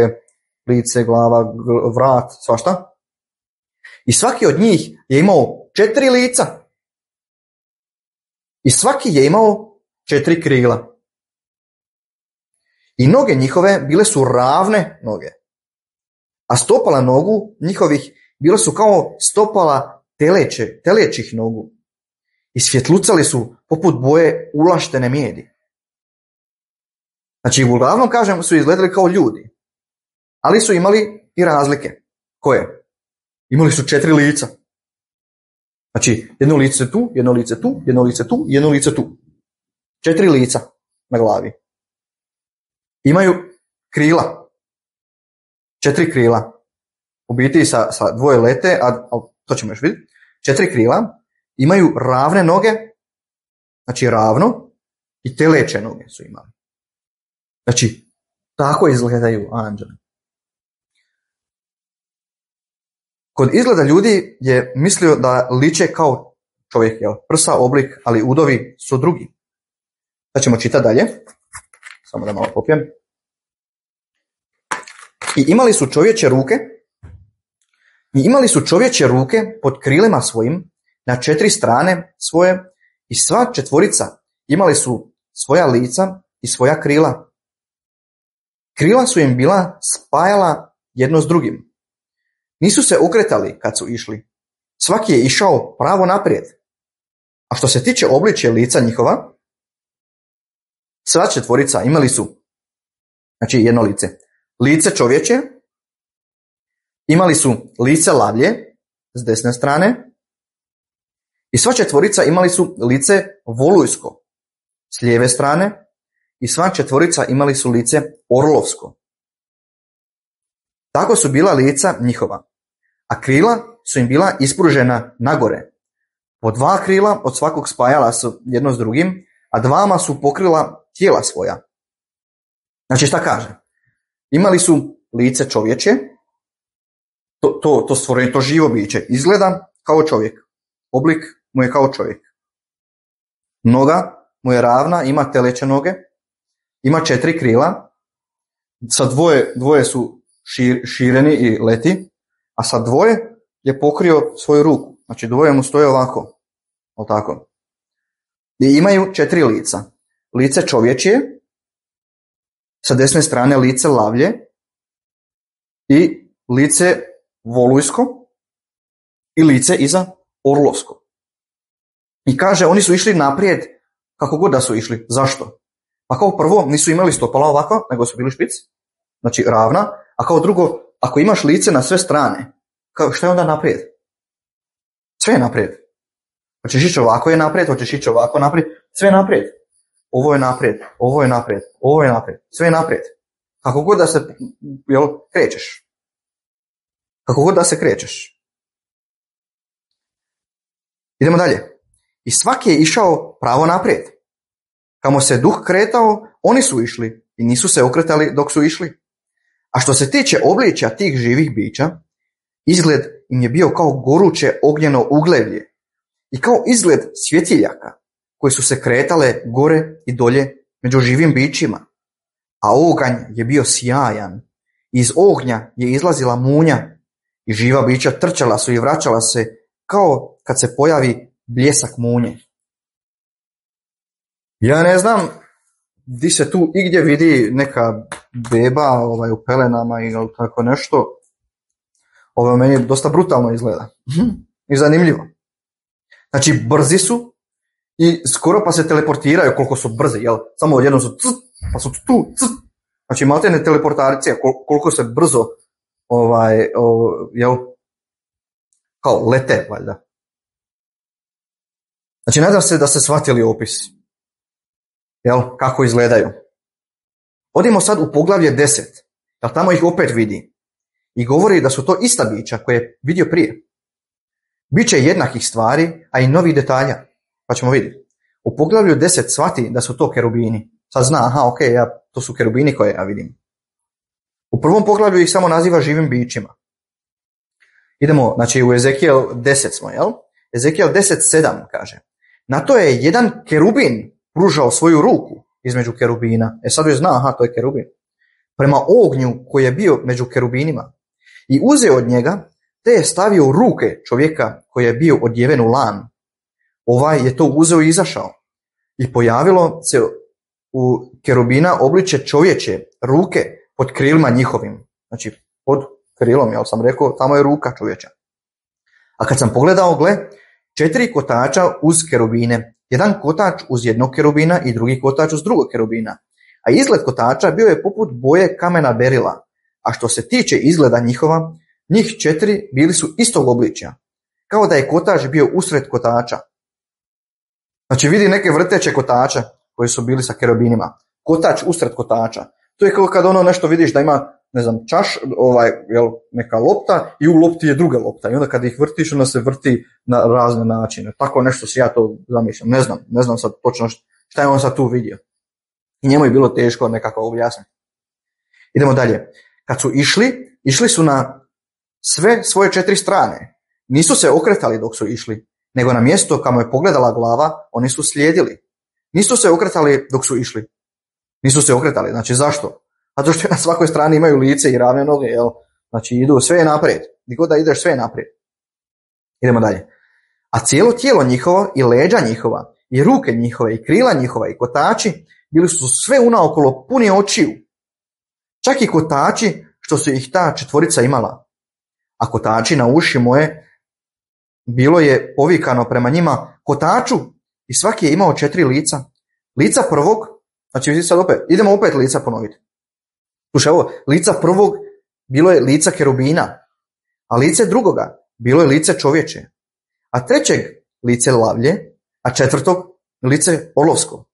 lice, glava, vrat, svašta. I svaki od njih je imao četiri lica. I svaki je imao četiri krila. I noge njihove bile su ravne noge. A stopala nogu njihovih bile su kao stopala teleće, telećih nogu. I svjetlucali su poput boje ulaštene mijedi. Znači, uglavnom, kažem, su izgledali kao ljudi. Ali su imali i razlike. Koje? Imali su četiri lica. Znači, jedno lice tu, jedno lice tu, jedno lice tu, jedno lice tu. Četiri lica na glavi. Imaju krila. Četiri krila. U biti sa, sa dvoje lete, a, a to ćemo još vidjeti. Četiri krila. Imaju ravne noge. Znači ravno. I teleće noge su imali. Znači, tako izgledaju anđeli. Kod izgleda ljudi je mislio da liče kao čovjek, jel? Prsa, oblik, ali udovi su drugi. Sad ćemo čitati dalje. Samo da malo popijem. I imali su čovječe ruke. I imali su čovječe ruke pod krilima svojim na četiri strane svoje i sva četvorica imali su svoja lica i svoja krila. Krila su im bila spajala jedno s drugim. Nisu se okretali kad su išli. Svaki je išao pravo naprijed. A što se tiče obličja lica njihova, sva četvorica imali su, znači jedno lice, lice čovječe, imali su lice lavlje s desne strane i sva četvorica imali su lice volujsko s lijeve strane i sva četvorica imali su lice orlovsko. Tako su bila lica njihova, a krila su im bila ispružena nagore. Po dva krila od svakog spajala su jedno s drugim, a dvama su pokrila tijela svoja. Znači šta kaže? Imali su lice čovječe, to, to, to stvorenje, to živo biće, izgleda kao čovjek. Oblik mu je kao čovjek. Noga mu je ravna, ima teleće noge, ima četiri krila, sa dvoje, dvoje su šir, šireni i leti, a sa dvoje je pokrio svoju ruku. Znači dvoje mu stoje ovako. O tako. I imaju četiri lica. Lice čovječje, sa desne strane lice lavlje i lice volujsko i lice iza orlovsko. I kaže, oni su išli naprijed kako god da su išli. Zašto? Pa kao prvo nisu imali stopala ovako, nego su bili špic, znači ravna, a kao drugo, ako imaš lice na sve strane, kao šta je onda naprijed? Sve je naprijed. Hoćeš ići ovako je naprijed, hoćeš ići ovako naprijed, sve je naprijed. Ovo je naprijed, ovo je naprijed, ovo je naprijed, sve je naprijed. Kako god da se, jel, krećeš. Kako god da se krećeš. Idemo dalje. I svaki je išao pravo naprijed. Kamo se duh kretao, oni su išli i nisu se okretali dok su išli. A što se tiče obličja tih živih bića, izgled im je bio kao goruće ognjeno ugljevlje i kao izgled svjetiljaka koji su se kretale gore i dolje među živim bićima. A oganj je bio sjajan. Iz ognja je izlazila munja i živa bića trčala su i vraćala se kao kad se pojavi bljesak munje. Ja ne znam di se tu igdje vidi neka beba ovaj, u pelenama ili tako nešto. Ovo meni dosta brutalno izgleda. I zanimljivo. Znači, brzi su i skoro pa se teleportiraju koliko su brzi, jel? Samo odjednom su ct, pa su tu, ct. Znači, imate ne teleportacija, koliko se brzo ovaj, o, jel? Kao lete, valjda. Znači, nadam se da ste shvatili opis. Jel? Kako izgledaju. Odimo sad u poglavlje deset. Jel, tamo ih opet vidi. I govori da su to ista bića koje je vidio prije. Biće jednakih stvari, a i novih detalja. Pa ćemo vidjeti. U poglavlju deset shvati da su to kerubini. Sad zna, aha, ok, ja, to su kerubini koje ja vidim. U prvom poglavlju ih samo naziva živim bićima. Idemo, znači u Ezekijel deset smo, jel? Ezekijel deset sedam kaže. Na to je jedan kerubin pružao svoju ruku između kerubina. E sad joj zna, aha, to je kerubin. Prema ognju koji je bio među kerubinima. I uzeo od njega, te je stavio u ruke čovjeka koji je bio odjeven u lan. Ovaj je to uzeo i izašao. I pojavilo se u kerubina obliče čovječe ruke pod krilima njihovim. Znači, pod krilom, jel sam rekao, tamo je ruka čovječa. A kad sam pogledao, gle, četiri kotača uz kerubine. Jedan kotač uz jednog kerubina i drugi kotač uz drugog kerubina. A izgled kotača bio je poput boje kamena berila. A što se tiče izgleda njihova, njih četiri bili su istog obličja. Kao da je kotač bio usred kotača. Znači vidi neke vrteće kotača koji su bili sa kerubinima. Kotač usred kotača. To je kao kad ono nešto vidiš da ima, ne znam, čaš, ovaj, jel, neka lopta i u lopti je druga lopta. I onda kad ih vrtiš, onda se vrti na razne načine. Tako nešto si ja to zamišljam. Ne znam, ne znam sad točno šta je on sad tu vidio. I njemu je bilo teško nekako objasniti. Idemo dalje. Kad su išli, išli su na sve svoje četiri strane. Nisu se okretali dok su išli, nego na mjesto kamo je pogledala glava, oni su slijedili. Nisu se okretali dok su išli. Nisu se okretali. Znači zašto? Zato što na svakoj strani imaju lice i ravne noge, jel? Znači idu sve naprijed. Gdje god da ideš, sve naprijed. Idemo dalje. A cijelo tijelo njihovo i leđa njihova i ruke njihove i krila njihova i kotači bili su sve unaokolo puni očiju. Čak i kotači što su ih ta četvorica imala. A kotači na uši moje bilo je povikano prema njima kotaču i svaki je imao četiri lica. Lica prvog, znači sad opet, idemo opet lica ponoviti. Slušaj ovo, lica prvog bilo je lica kerubina, a lice drugoga bilo je lice čovječe, a trećeg lice lavlje, a četvrtog lice olovsko.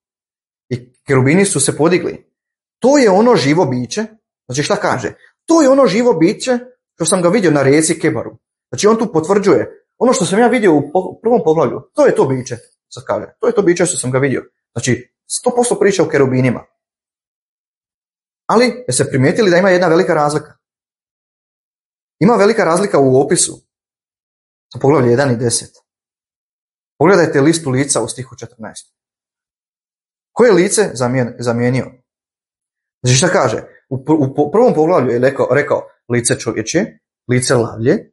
I kerubini su se podigli. To je ono živo biće, znači šta kaže? To je ono živo biće što sam ga vidio na rijeci Kebaru. Znači on tu potvrđuje ono što sam ja vidio u prvom poglavlju, to je to biće, sad kaže. To je to biće što sam ga vidio. Znači, sto posto priča o kerubinima. Ali, je se primijetili da ima jedna velika razlika. Ima velika razlika u opisu. Sa poglavlje jedan i deset. Pogledajte listu lica u stihu četrnaest. Koje lice zamien, zamijenio? Znači šta kaže? U, u prvom poglavlju je rekao, rekao lice čovječe, lice lavlje,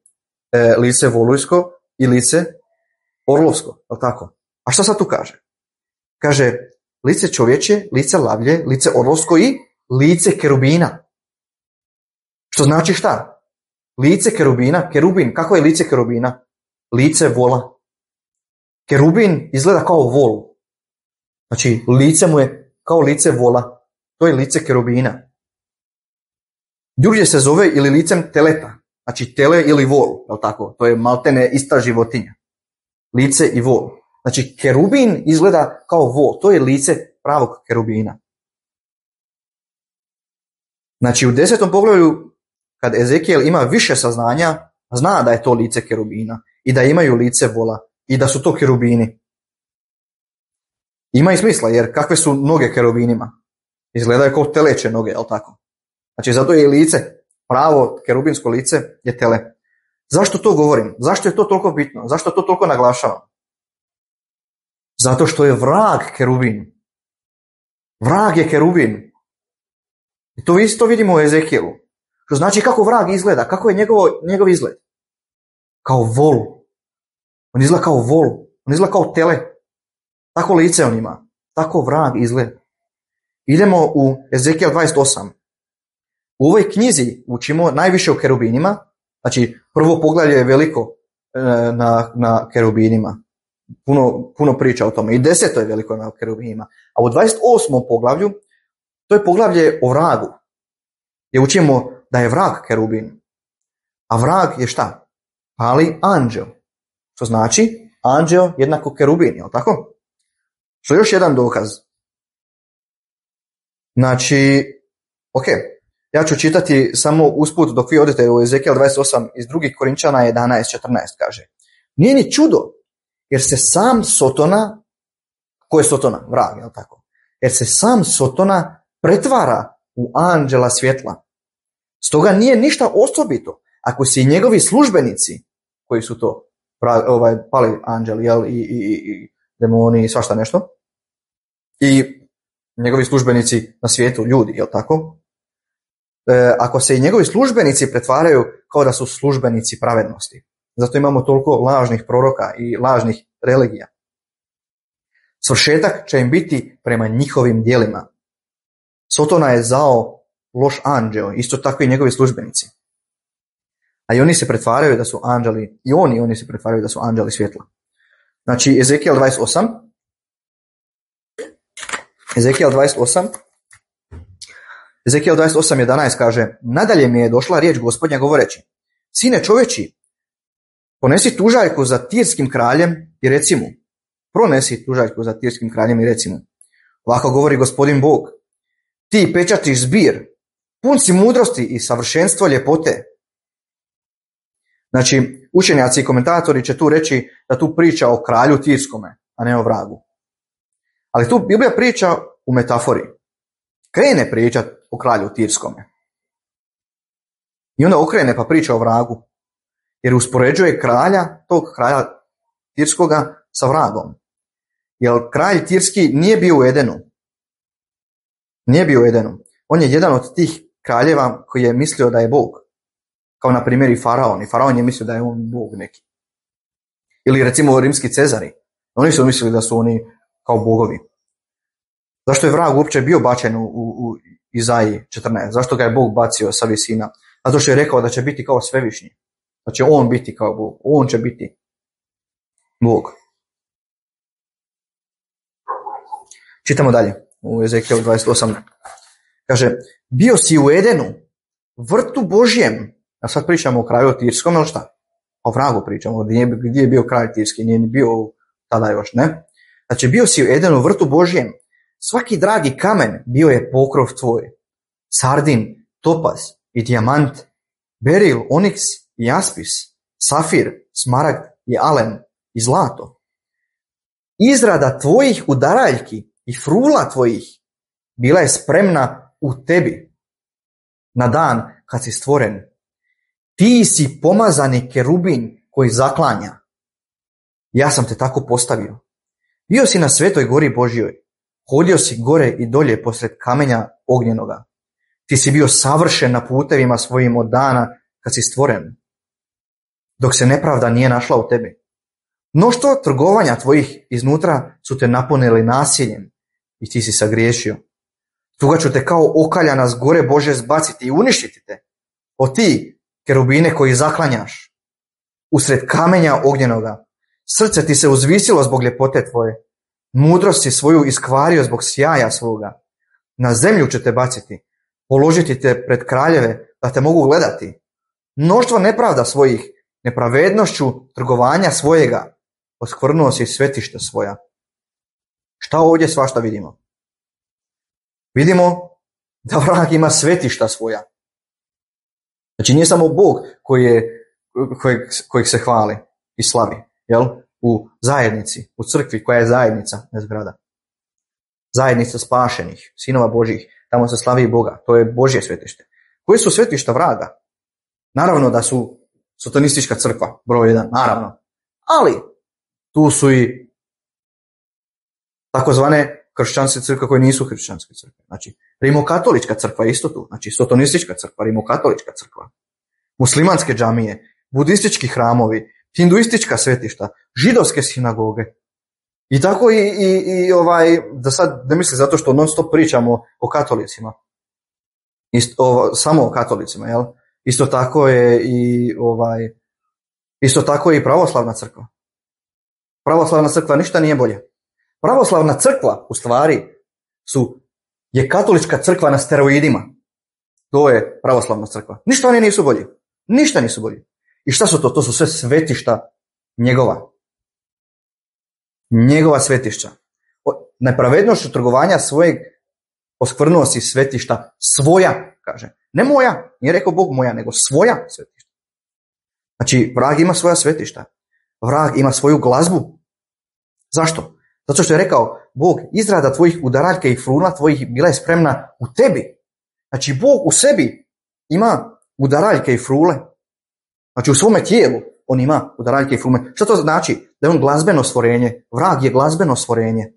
e, lice volujsko i lice orlovsko. Je tako? A šta sad tu kaže? Kaže lice čovječe, lice lavlje, lice orlovsko i lice kerubina. Što znači šta? Lice kerubina, kerubin, kako je lice kerubina? Lice vola. Kerubin izgleda kao vol. Znači, lice mu je kao lice vola. To je lice kerubina. Drugdje se zove ili licem teleta. Znači, tele ili vol, je li tako? To je maltene ista životinja. Lice i vol. Znači, kerubin izgleda kao vol. To je lice pravog kerubina. Znači, u desetom poglavlju, kad Ezekijel ima više saznanja, zna da je to lice kerubina i da imaju lice vola i da su to kerubini. Ima i smisla, jer kakve su noge kerubinima? Izgledaju kao teleće noge, jel tako? Znači, zato je i lice, pravo kerubinsko lice je tele. Zašto to govorim? Zašto je to toliko bitno? Zašto to toliko naglašavam? Zato što je vrag kerubin. Vrag je kerubin. I to isto vidimo u Ezekijelu. Što znači kako vrag izgleda, kako je njegovo, njegov izgled. Kao vol. On izgleda kao vol. On izgleda kao tele. Tako lice on ima. tako vrag izgleda. Idemo u Ezekijel dvadeset osam. U ovoj knjizi učimo najviše o kerubinima. Znači, prvo poglavlje je veliko e, na, na kerubinima. Puno, puno priča o tome. I deseto je veliko na kerubinima. A u dvadeset osmom poglavlju, to je poglavlje o vragu. Gdje učimo da je vrag kerubin. A vrag je šta? Pali anđeo. Što znači, anđeo jednako kerubin, je li tako? Što je još jedan dokaz. Znači, ok, ja ću čitati samo usput dok vi odete u Ezekijel dvadeset osam iz drugih Korinčana jedanaest četrnaest kaže. Nije ni čudo, jer se sam Sotona, ko je Sotona? Vrag, je li tako? Jer se sam Sotona pretvara u anđela svjetla. Stoga nije ništa osobito ako se i njegovi službenici, koji su to ovaj, pali anđeli, jel, i, i, i demoni i svašta nešto, i njegovi službenici na svijetu, ljudi, jel tako? E, ako se i njegovi službenici pretvaraju kao da su službenici pravednosti. Zato imamo toliko lažnih proroka i lažnih religija. Svršetak će im biti prema njihovim djelima. Sotona je zao loš anđeo, isto tako i njegovi službenici. A i oni se pretvaraju da su anđeli, i oni, oni se pretvaraju da su anđeli svjetla. Znači, Ezekijel dvadeset osam, Ezekijel dvadeset osam, Ezekijel dvadeset osam jedanaest kaže, nadalje mi je došla riječ Gospodnja govoreći, sine čovječi, ponesi tužaljku za tirskim kraljem i reci mu, pronesi tužaljku za tirskim kraljem i reci mu, ovako govori Gospodin Bog, ti pečatiš zbir, pun si mudrosti i savršenstvo ljepote. Znači, učenjaci i komentatori će tu reći da tu priča o kralju tirskome, a ne o vragu. Ali tu Biblija priča u metafori. Krene pričat o kralju tirskome. I onda okrene pa priča o vragu. Jer uspoređuje kralja, tog kralja tirskoga sa vragom. Jer kralj tirski nije bio u Edenu. Nije bio u Edenu. On je jedan od tih kraljeva koji je mislio da je Bog. Kao na primjer i faraon. I faraon je mislio da je on Bog neki. Ili recimo rimski cezari. Oni su mislili da su oni kao bogovi. Zašto je vrag uopće bio bačen u, u, u Izaiji četrnaest? Zašto ga je Bog bacio sa visina? Zato što je rekao da će biti kao svevišnji. Da će on biti kao Bog. On će biti Bog. Čitamo dalje u Ezekijelu dvadeset osam. Kaže, bio si u Edenu, vrtu Božjem. A sad pričamo o kralju tirskom, ili šta? O vragu pričamo, gdje, gdje je bio kralj tirski, nije bio tada još, ne? Znači, bio si u Edenu, vrtu Božjem. Svaki dragi kamen bio je pokrov tvoj. Sardin, topaz i dijamant, beril, oniks i jaspis, safir, smaragd i alen i zlato. Izrada tvojih udaraljki i frula tvojih bila je spremna u tebi na dan kad si stvoren. Ti si pomazani kerubin koji zaklanja. Ja sam te tako postavio. Bio si na svetoj gori Božjoj. Hodio si gore i dolje posred kamenja ognjenoga. Ti si bio savršen na putevima svojim od dana kad si stvoren, dok se nepravda nije našla u tebi. Mnoštvo trgovanja tvojih iznutra su te napunili nasiljem i ti si sagriješio. Tuga ću te kao okaljana s gore Bože zbaciti i uništiti te. O ti, kerubine koji zaklanjaš, usred kamenja ognjenoga, srce ti se uzvisilo zbog ljepote tvoje. Mudrost si svoju iskvario zbog sjaja svoga. Na zemlju će te baciti, položiti te pred kraljeve da te mogu gledati. Mnoštvo nepravda svojih, nepravednošću trgovanja svojega, oskvrnuo si svetišta svoja. Šta ovdje svašta vidimo? Vidimo da vrag ima svetišta svoja. Znači nije samo Bog koji je, kojeg, kojeg se hvali i slavi, jel? U zajednici, u crkvi koja je zajednica, ne zgrada. Zajednica spašenih, sinova Božjih, tamo se slavi Boga, to je Božje svetište. Koje su svetišta vraga? Naravno da su sotonistička crkva, broj jedan, naravno. Ali tu su i takozvane kršćanske crkve koje nisu kršćanske crkve. Znači, rimokatolička crkva je isto tu, znači sotonistička crkva, rimokatolička crkva, muslimanske džamije, budistički hramovi, hinduistička svetišta, židovske sinagoge. I tako i, i, i ovaj, da sad ne misli zato što non stop pričamo o katolicima. Isto, ovo, samo o katolicima, jel? Isto tako je i ovaj, isto tako je i pravoslavna crkva. Pravoslavna crkva ništa nije bolje. Pravoslavna crkva u stvari su, je katolička crkva na steroidima. To je pravoslavna crkva. Ništa oni nisu bolji. Ništa nisu bolji. I šta su to? To su sve svetišta njegova. Njegova svetišća. Nepravednošću trgovanja svojeg oskvrnuo si svetišta svoja, kaže. Ne moja, nije rekao Bog moja, nego svoja svetišta. Znači, vrag ima svoja svetišta. Vrag ima svoju glazbu. Zašto? Zato što je rekao, Bog, izrada tvojih udaraljka i frula tvojih bila je spremna u tebi. Znači, Bog u sebi ima udaraljke i frule. Znači, u svome tijelu on ima udaraljke i frule. Što to znači? Da je on glazbeno stvorenje. Vrag je glazbeno stvorenje.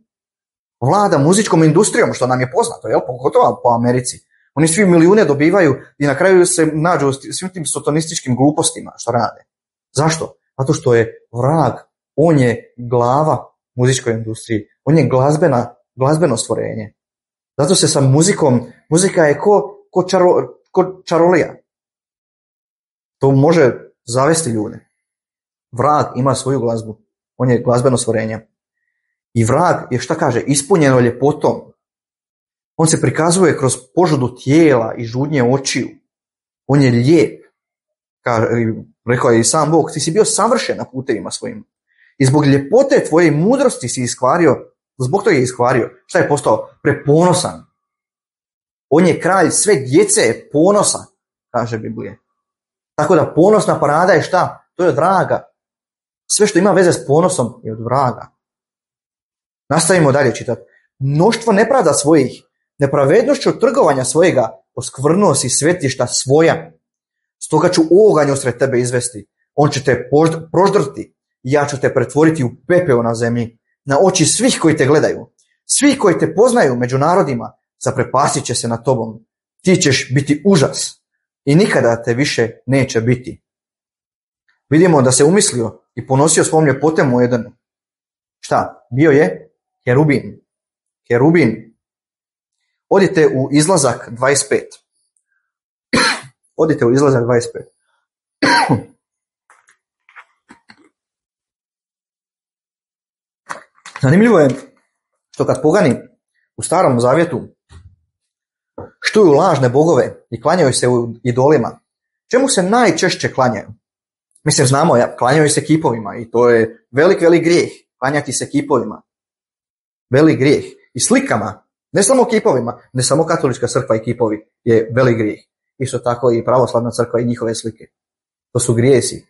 Vlada muzičkom industrijom, što nam je poznato, jel? Pogotovo po Americi. Oni svi milijune dobivaju i na kraju se nađu u svim tim satanističkim glupostima što rade. Zašto? Zato što je vrag, on je glava muzičkoj industriji. On je glazbena, glazbeno stvorenje. Zato se sa muzikom, muzika je ko, ko, čaro, ko čarolija. To može zavesti ljude. Vrag ima svoju glazbu. On je glazbeno stvorenje. I vrag je, šta kaže, ispunjeno ljepotom. On se prikazuje kroz požudu tijela i žudnje očiju. On je lijep. Kaže, rekao je i sam Bog, ti si bio savršen na putevima svojim. I zbog ljepote tvoje mudrosti si iskvario, zbog toga je iskvario. Šta je postao? Preponosan. On je kralj sve djece ponosa, kaže Biblija. Tako da ponosna parada je šta? To je od vraga. Sve što ima veze s ponosom je od vraga. Nastavimo dalje čitati. Mnoštvo nepravda svojih, nepravednošću trgovanja svojega, oskvrnuo si svetišta svoja. Stoga ću oganj usred tebe izvesti. On će te proždrti. Ja ću te pretvoriti u pepeo na zemlji, na oči svih koji te gledaju. Svi koji te poznaju među narodima, zaprepasit će se nad tobom. Ti ćeš biti užas i nikada te više neće biti. Vidimo da se umislio i ponosio svom ljepotem u Edenu. Šta? Bio je Kerubin. Kerubin. Odite u izlazak dvadeset pet. Odite u izlazak dvadeset pet. Zanimljivo je što kad pogani u Starom Zavjetu štuju lažne bogove i klanjaju se u idolima, čemu se najčešće klanjaju? Mislim, znamo, ja, klanjaju se kipovima i to je velik, velik grijeh, klanjati se kipovima. Velik grijeh. I slikama, ne samo kipovima, ne samo katolička crkva i kipovi je velik grijeh. Isto tako i pravoslavna crkva i njihove slike. To su grijesi.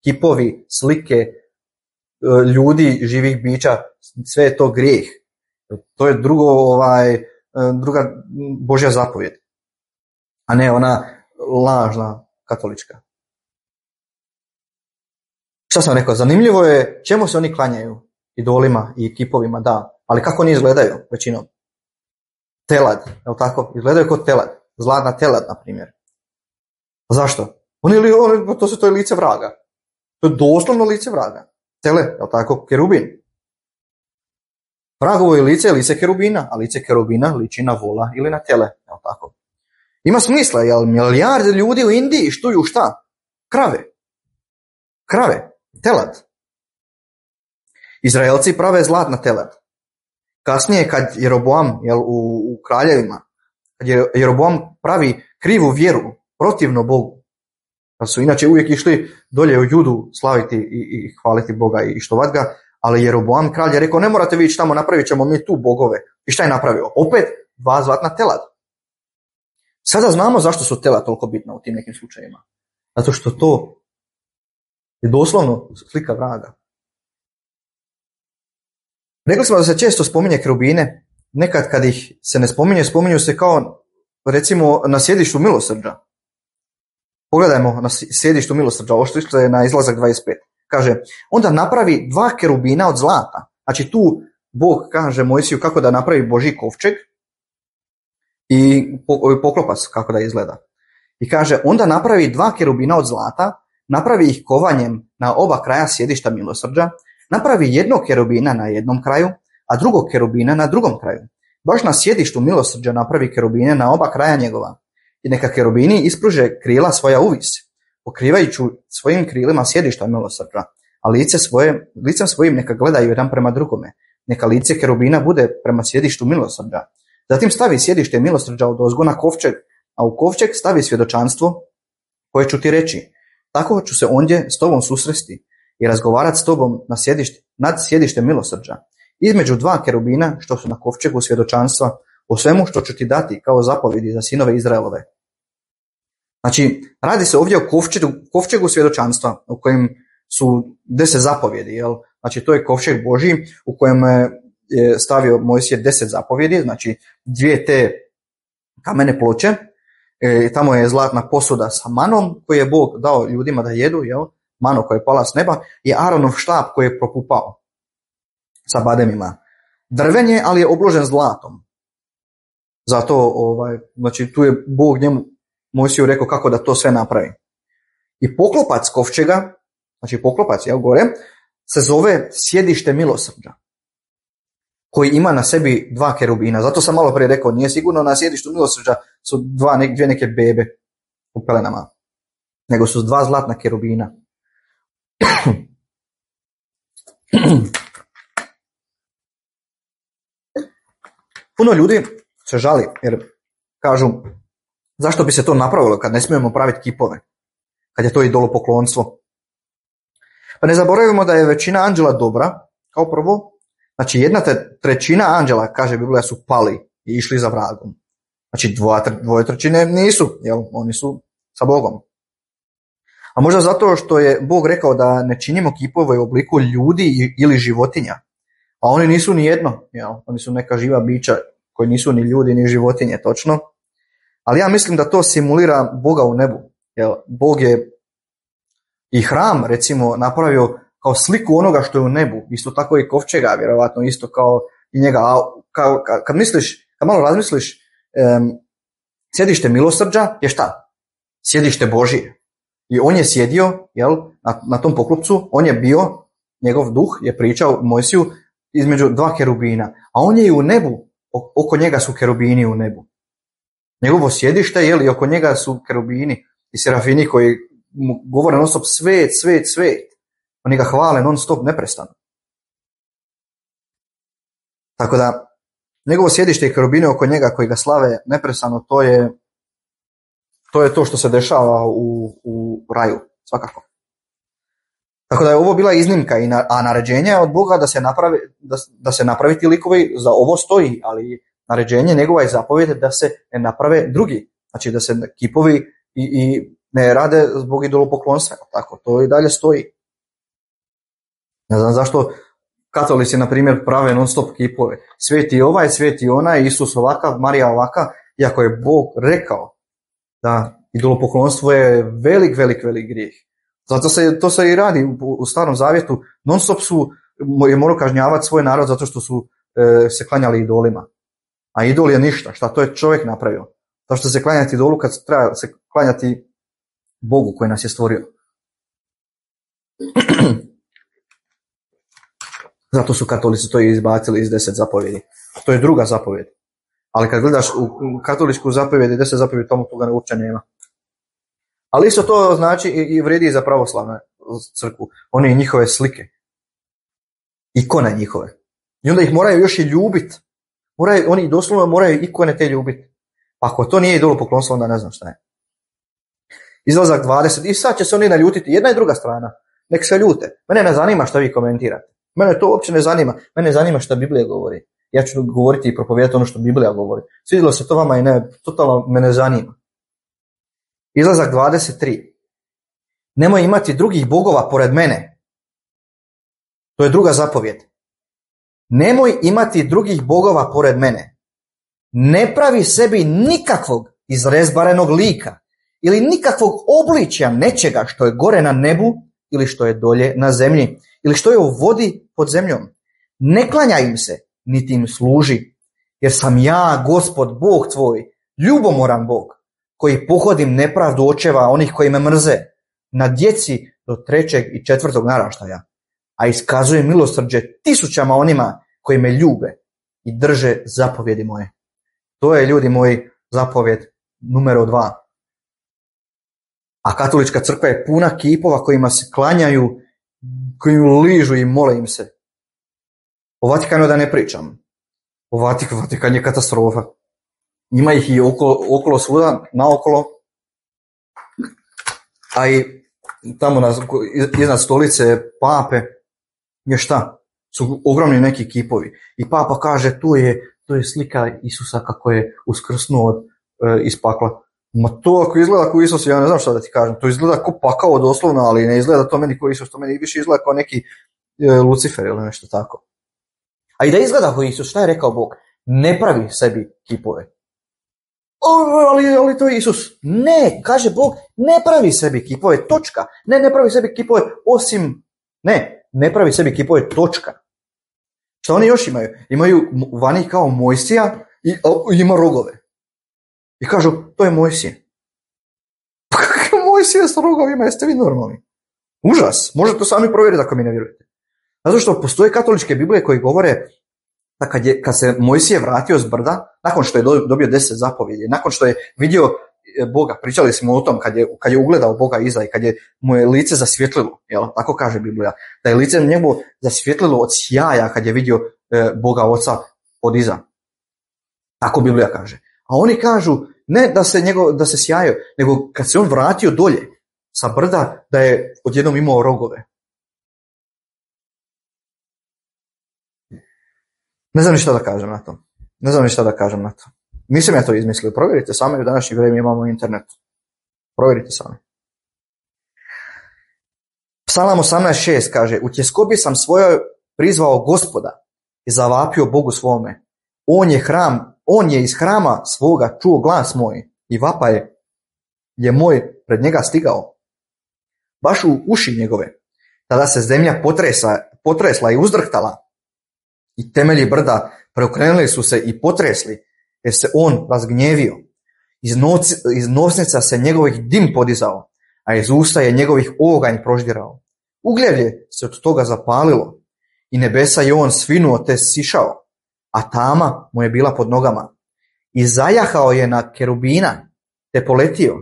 Kipovi, slike, ljudi, živih bića, sve je to grijeh. To je drugo, ovaj, druga Božja zapovjed, a ne ona lažna katolička. Šta sam rekao? Zanimljivo je čemu se oni klanjaju, idolima i kipovima, da, ali kako oni izgledaju većinom? Telad, je li tako? Izgledaju kao telad, zlatna telad, na primjer. Zašto? Oni, oni, to su to je lice vraga. To je doslovno lice vraga. Tele, je li tako? Kerubin. Vragovo je lice, lice kerubina, a lice kerubina liči na vola ili na tele, je li tako? Ima smisla, jel milijarde ljudi u Indiji štuju šta? Krave. Krave. Telad. Izraelci prave zlatna telad. Kasnije kad Jeroboam, jel, u, u kraljevima, kad Jeroboam pravi krivu vjeru protivno Bogu, pa su inače uvijek išli dolje u Judu slaviti i, i hvaliti Boga i štovat ga, ali Jeroboam kralj je rekao, ne morate vi ići tamo, napravit ćemo mi tu bogove. I šta je napravio? Opet dva zlatna telad. Sada znamo zašto su tela toliko bitna u tim nekim slučajima. Zato što to je doslovno slika vraga. Rekli smo da se često spominje kerubine, nekad kad ih se ne spominje, spominju se kao recimo na sjedištu milosrđa. Pogledajmo na sjedištu milosrđa, ovo što je na izlazak dvadeset pet. Kaže, onda napravi dva kerubina od zlata. Znači tu Bog kaže Mojsiju kako da napravi Božji kovčeg i poklopac kako da izgleda. I kaže, onda napravi dva kerubina od zlata, napravi ih kovanjem na oba kraja sjedišta milosrđa, napravi jednog kerubina na jednom kraju, a drugog kerubina na drugom kraju. Baš na sjedištu milosrđa napravi kerubine na oba kraja njegova. I neka kerubini ispruže krila svoja uvis, pokrivajući svojim krilima sjedišta milosrđa, a lice svoje, licem svojim neka gledaju jedan prema drugome. Neka lice kerubina bude prema sjedištu milosrđa. Zatim stavi sjedište milosrđa odozgo na kovčeg, a u kovčeg stavi svjedočanstvo koje ću ti reći. Tako ću se ondje s tobom susresti i razgovarati s tobom na sjedište, nad sjedištem milosrđa, između dva kerubina što su na kovčegu svjedočanstva o svemu što ću ti dati kao zapovjedi za sinove Izraelove. Znači, radi se ovdje o kovčegu, kovčegu svjedočanstva u kojem su deset zapovjedi. Jel? Znači, to je kovčeg Božji u kojem je stavio Mojsije deset zapovjedi, znači dvije te kamene ploče, e, tamo je zlatna posuda sa manom koju je Bog dao ljudima da jedu, jel? Mano koja je pala s neba, i Aaronov štap koji je propupao sa bademima. Drven je, ali je obložen zlatom. Zato, ovaj, znači, tu je Bog njemu Mojsiju rekao kako da to sve napravi. I poklopac kovčega, znači poklopac, jel, gore, se zove sjedište milosrđa, koji ima na sebi dva kerubina. Zato sam malo prije rekao, nije sigurno na sjedištu milosrđa su dva, dvije neke bebe u pelenama, nego su dva zlatna kerubina. Puno ljudi se žali jer kažu zašto bi se to napravilo kad ne smijemo praviti kipove, kad je to idolopoklonstvo. Pa ne zaboravimo da je većina anđela dobra, kao prvo. Znači jedna trećina anđela, kaže Biblija, su pali i išli za vragom. Znači dvoje, dvoje trećine nisu, jel? Oni su sa Bogom. A možda zato što je Bog rekao da ne činimo kipove u obliku ljudi ili životinja. A oni nisu ni jedno, jel? Oni su neka živa bića koji nisu ni ljudi ni životinje, točno. Ali ja mislim da to simulira Boga u nebu. Jel? Bog je i hram, recimo, napravio kao sliku onoga što je u nebu. Isto tako i kovčega, vjerovatno isto kao i njega. A kad, kad misliš, kad malo razmisliš, um, sjedište milosrđa je šta? Sjedište Božije. I on je sjedio, jel, na, na tom poklopcu, on je bio, njegov duh je pričao Mojsiju između dva kerubina. A on je i u nebu, oko njega su kerubini u nebu. Njegovo sjedište, jel, i oko njega su kerubini i serafini koji mu govore non stop svet, svet, svet. Oni ga hvale non stop, neprestano. Tako da, njegovo sjedište i kerubine oko njega koji ga slave neprestano, to je to je to što se dešava u, u raju, svakako. Tako da je ovo bila iznimka, i na, a naređenje od Boga da se, napravi, da, da se napravi ti likovi, za ovo stoji, ali naređenje njegova je zapovjed da se ne naprave drugi. Znači da se kipovi i, i ne rade zbog idolopoklonstva. Tako, to i dalje stoji. Ne znam zašto katolici, na primjer, prave non stop kipove. Sveti ovaj, sveti onaj, Isus ovakav, Marija ovaka, iako je Bog rekao da idolopoklonstvo je velik, velik, velik grijeh. Zato se to se i radi u, u Starom Zavjetu. Non stop su je morao kažnjavati svoj narod zato što su e, se klanjali idolima. A idol je ništa. Šta to je čovjek napravio? To što se klanjati idolu kad treba se klanjati Bogu koji nas je stvorio. Zato su katolici to izbacili iz deset zapovjedi. To je druga zapovjed. Ali kad gledaš u katoličku zapovjed i deset zapovjedi, tomu toga uopće nema. Ali isto to znači i vredi za pravoslavnu crkvu. One i njihove slike. Ikone njihove. I onda ih moraju još i ljubiti. Moraju, oni doslovno moraju ikone te ljubiti. Pa ako to nije idolopoklonstvo, onda ne znam šta je. Izlazak dvadeset. I sad će se oni naljutiti. Jedna i druga strana. Nek se ljute. Mene ne zanima šta vi komentirate. Mene to uopće ne zanima. Mene zanima šta Biblija govori. Ja ću govoriti i propovijedati ono što Biblija govori. Svidjelo se to vama i ne, totalno me ne zanima. Izlazak dvadeset tri. Nemoj imati drugih bogova pored mene. To je druga zapovjed. Nemoj imati drugih bogova pored mene. Ne pravi sebi nikakvog izrezbarenog lika ili nikakvog obličja nečega što je gore na nebu ili što je dolje na zemlji ili što je u vodi pod zemljom. Ne klanjaj im se, niti im služi, jer sam ja, Gospod, Bog tvoj, ljubomoran Bog, koji pohodim nepravdu očeva onih koji me mrze, na djeci do trećeg i četvrtog naraštaja, a iskazuje milosrđe tisućama onima koji me ljube i drže zapovjedi moje. To je, ljudi moji, zapovjed numero dva. A katolička crkva je puna kipova kojima se klanjaju, koji ližu i mole im se. O Vatikanu da ne pričam. O Vatikan, Vatikan je katastrofa. Ima ih i okolo, okolo svuda, naokolo. A i tamo na, iznad stolice pape je šta? Su ogromni neki kipovi. I papa kaže, tu je, tu je slika Isusa kako je uskrsnuo od, e, iz pakla. Ma to ako izgleda kao Isus, ja ne znam šta da ti kažem. To izgleda kao pakao doslovno, ali ne izgleda to meni kao Isus. To meni više izgleda kao neki e, Lucifer ili nešto tako. A i da izgleda kao Isus, šta je rekao Bog? Ne pravi sebi kipove. O, ali, ali to je Isus. Ne, kaže Bog, ne pravi sebi kipove, točka. Ne, ne pravi sebi kipove osim, ne, ne pravi sebi kipove, točka. Šta oni još imaju? Imaju vani kao Mojsija i o, ima rogove. I kažu, to je Mojsije. Pa kakav Mojsije s rogovima, jeste vi normalni? Užas, možete to sami provjeriti ako mi ne vjerujete. Zato što postoje katoličke Biblije koji govore da kad, je, kad se Mojsije vratio s brda, nakon što je dobio deset zapovjedi, nakon što je vidio Boga, pričali smo o tom kad je, kad je ugledao Boga iza i kad je mu je lice zasvjetlilo, jel? Tako kaže Biblija, da je lice njemu zasvjetlilo od sjaja kad je vidio e, Boga Oca od iza. Tako Biblija kaže. A oni kažu ne da se, njegov, da se sjajaju, nego kad se on vratio dolje sa brda, da je odjednom imao rogove. Ne znam ni šta da kažem na to. Ne znam ni šta da kažem na to. Nisam ja to izmislio. Provjerite sami, u današnje vrijeme imamo internet. Provjerite sami. Psalam osamnaest šest kaže, u tjeskobi sam svojoj prizvao Gospoda i zavapio Bogu svome. On je hram, on je iz hrama svoga čuo glas moj i vapaj je moj pred njega stigao. Baš u uši njegove. Tada se zemlja potresa, potresla i uzdrhtala i temelji brda preokrenuli su se i potresli, jer se on razgnjevio. Iz, noc, iz nosnica se njegovih dim podizao, a iz usta je njegovih oganj proždirao. Ugljevlje se od toga zapalilo i nebesa je on svinuo te sišao, a tama mu je bila pod nogama. I zajahao je na kerubina te poletio,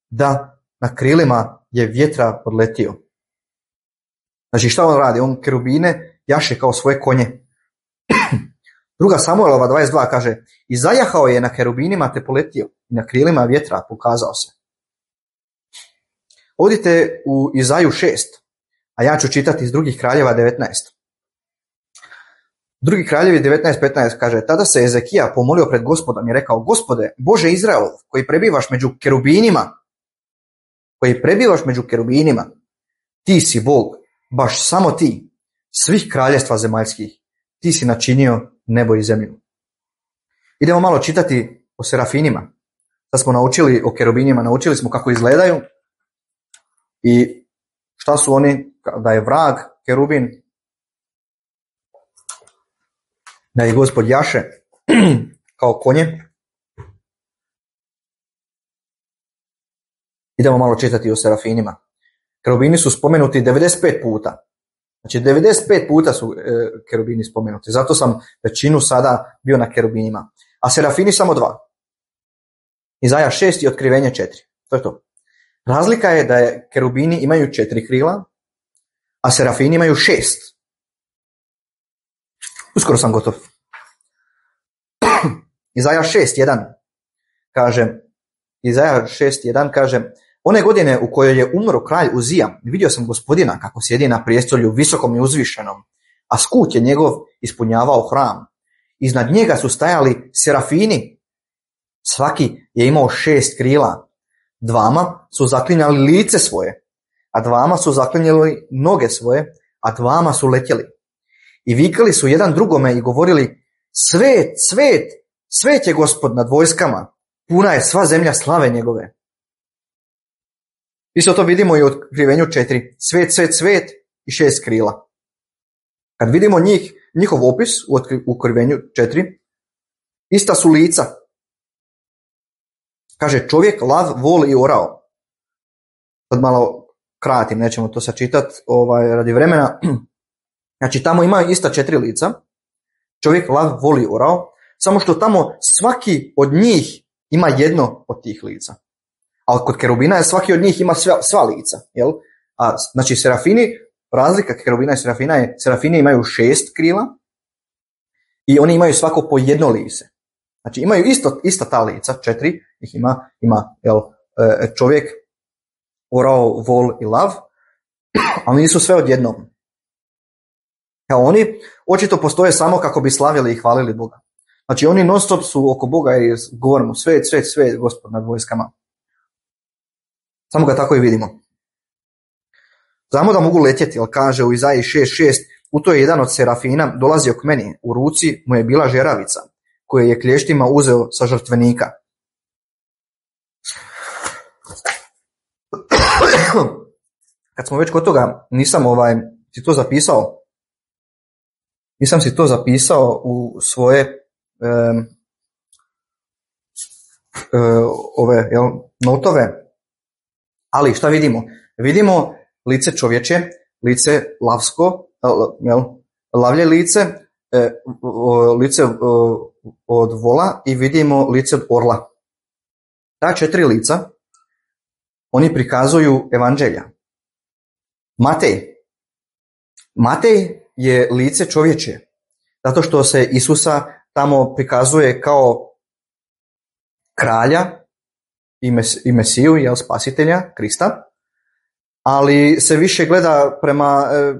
da na krilima je vjetra odletio. Znači šta on radi? On kerubine jaše kao svoje konje. Druga Samuelova dvadeset dva kaže, i zajahao je na kerubinima te poletio i na krilima vjetra pokazao se. Odite u Izaju šest, a ja ću čitati iz drugih kraljeva devetnaest. Drugi kraljevi devetnaest petnaest kaže, tada se Ezekija pomolio pred Gospodom i rekao, Gospode, Bože Izraelov, koji prebivaš među kerubinima, koji prebivaš među kerubinima, ti si Bog, baš samo ti, svih kraljevstva zemaljskih, ti si načinio nebo i zemlju. Idemo malo čitati o serafinima. Sad smo naučili o kerubinima, naučili smo kako izgledaju i šta su oni, da je vrag kerubin, da je Gospod jaše kao konje. Idemo malo čitati o serafinima. Kerubini su spomenuti devedeset pet puta. Znači devedeset pet puta su e, kerubini spomenuti. Zato sam većinu sada bio na kerubinima. A serafini samo dva. Izaja šest i otkrivenje četiri. To je to. Razlika je da je kerubini imaju četiri krila, a serafini imaju šest. Uskoro sam gotov. Izaja šest jedan kaže, Izaja šest jedan kaže, one godine u kojoj je umro kralj Uzija, vidio sam Gospodina kako sjedi na prijestolju visokom i uzvišenom, a skut je njegov ispunjavao hram. Iznad njega su stajali serafini, svaki je imao šest krila. Dvama su zaklinjali lice svoje, a dvama su zaklinjali noge svoje, a dvama su letjeli. I vikali su jedan drugome i govorili, svet, svet, svet je Gospod nad vojskama, puna je sva zemlja slave njegove. Isto to vidimo i u otkrivenju četiri. Svet, svet, svet i šest krila. Kad vidimo njih, njihov opis u otkrivenju četiri, ista su lica. Kaže čovjek, lav, vol i orao. Sad malo kratim, nećemo to sačitati ovaj, radi vremena. Znači tamo ima ista četiri lica, čovjek lav voli orao, samo što tamo svaki od njih ima jedno od tih lica. Ali kod kerubina je svaki od njih ima sva, sva lica. Jel? A, znači serafini, razlika kerubina i serafina je, serafini imaju šest krila i oni imaju svako po jedno lice. Znači imaju isto, ista ta lica, četiri ih ima, ima jel, čovjek, orao, vol i lav, ali nisu sve odjednom. Kao oni očito postoje samo kako bi slavili i hvalili Boga. Znači oni non stop su oko Boga i govorimo svet, svet, svet, Gospod nad vojskama. Samo ga tako i vidimo. Znamo da mogu letjeti, ali kaže u Izaiji šest šest, u to je jedan od serafina dolazio k meni, u ruci mu je bila žeravica, koju je klještima uzeo sa žrtvenika. Kad smo već kod toga, nisam ovaj, si to zapisao, nisam si to zapisao u svoje um, uh, ove jel, notove, ali šta vidimo? Vidimo lice čovječe, lice lavsko, jel, lavlje lice, e, o, lice o, od vola i vidimo lice od orla. Ta četiri lica, oni prikazuju evanđelja. Matej. Matej je lice čovječe, zato što se Isusa tamo prikazuje kao kralja i, mes, i Mesiju, jel, spasitelja, Krista, ali se više gleda prema e,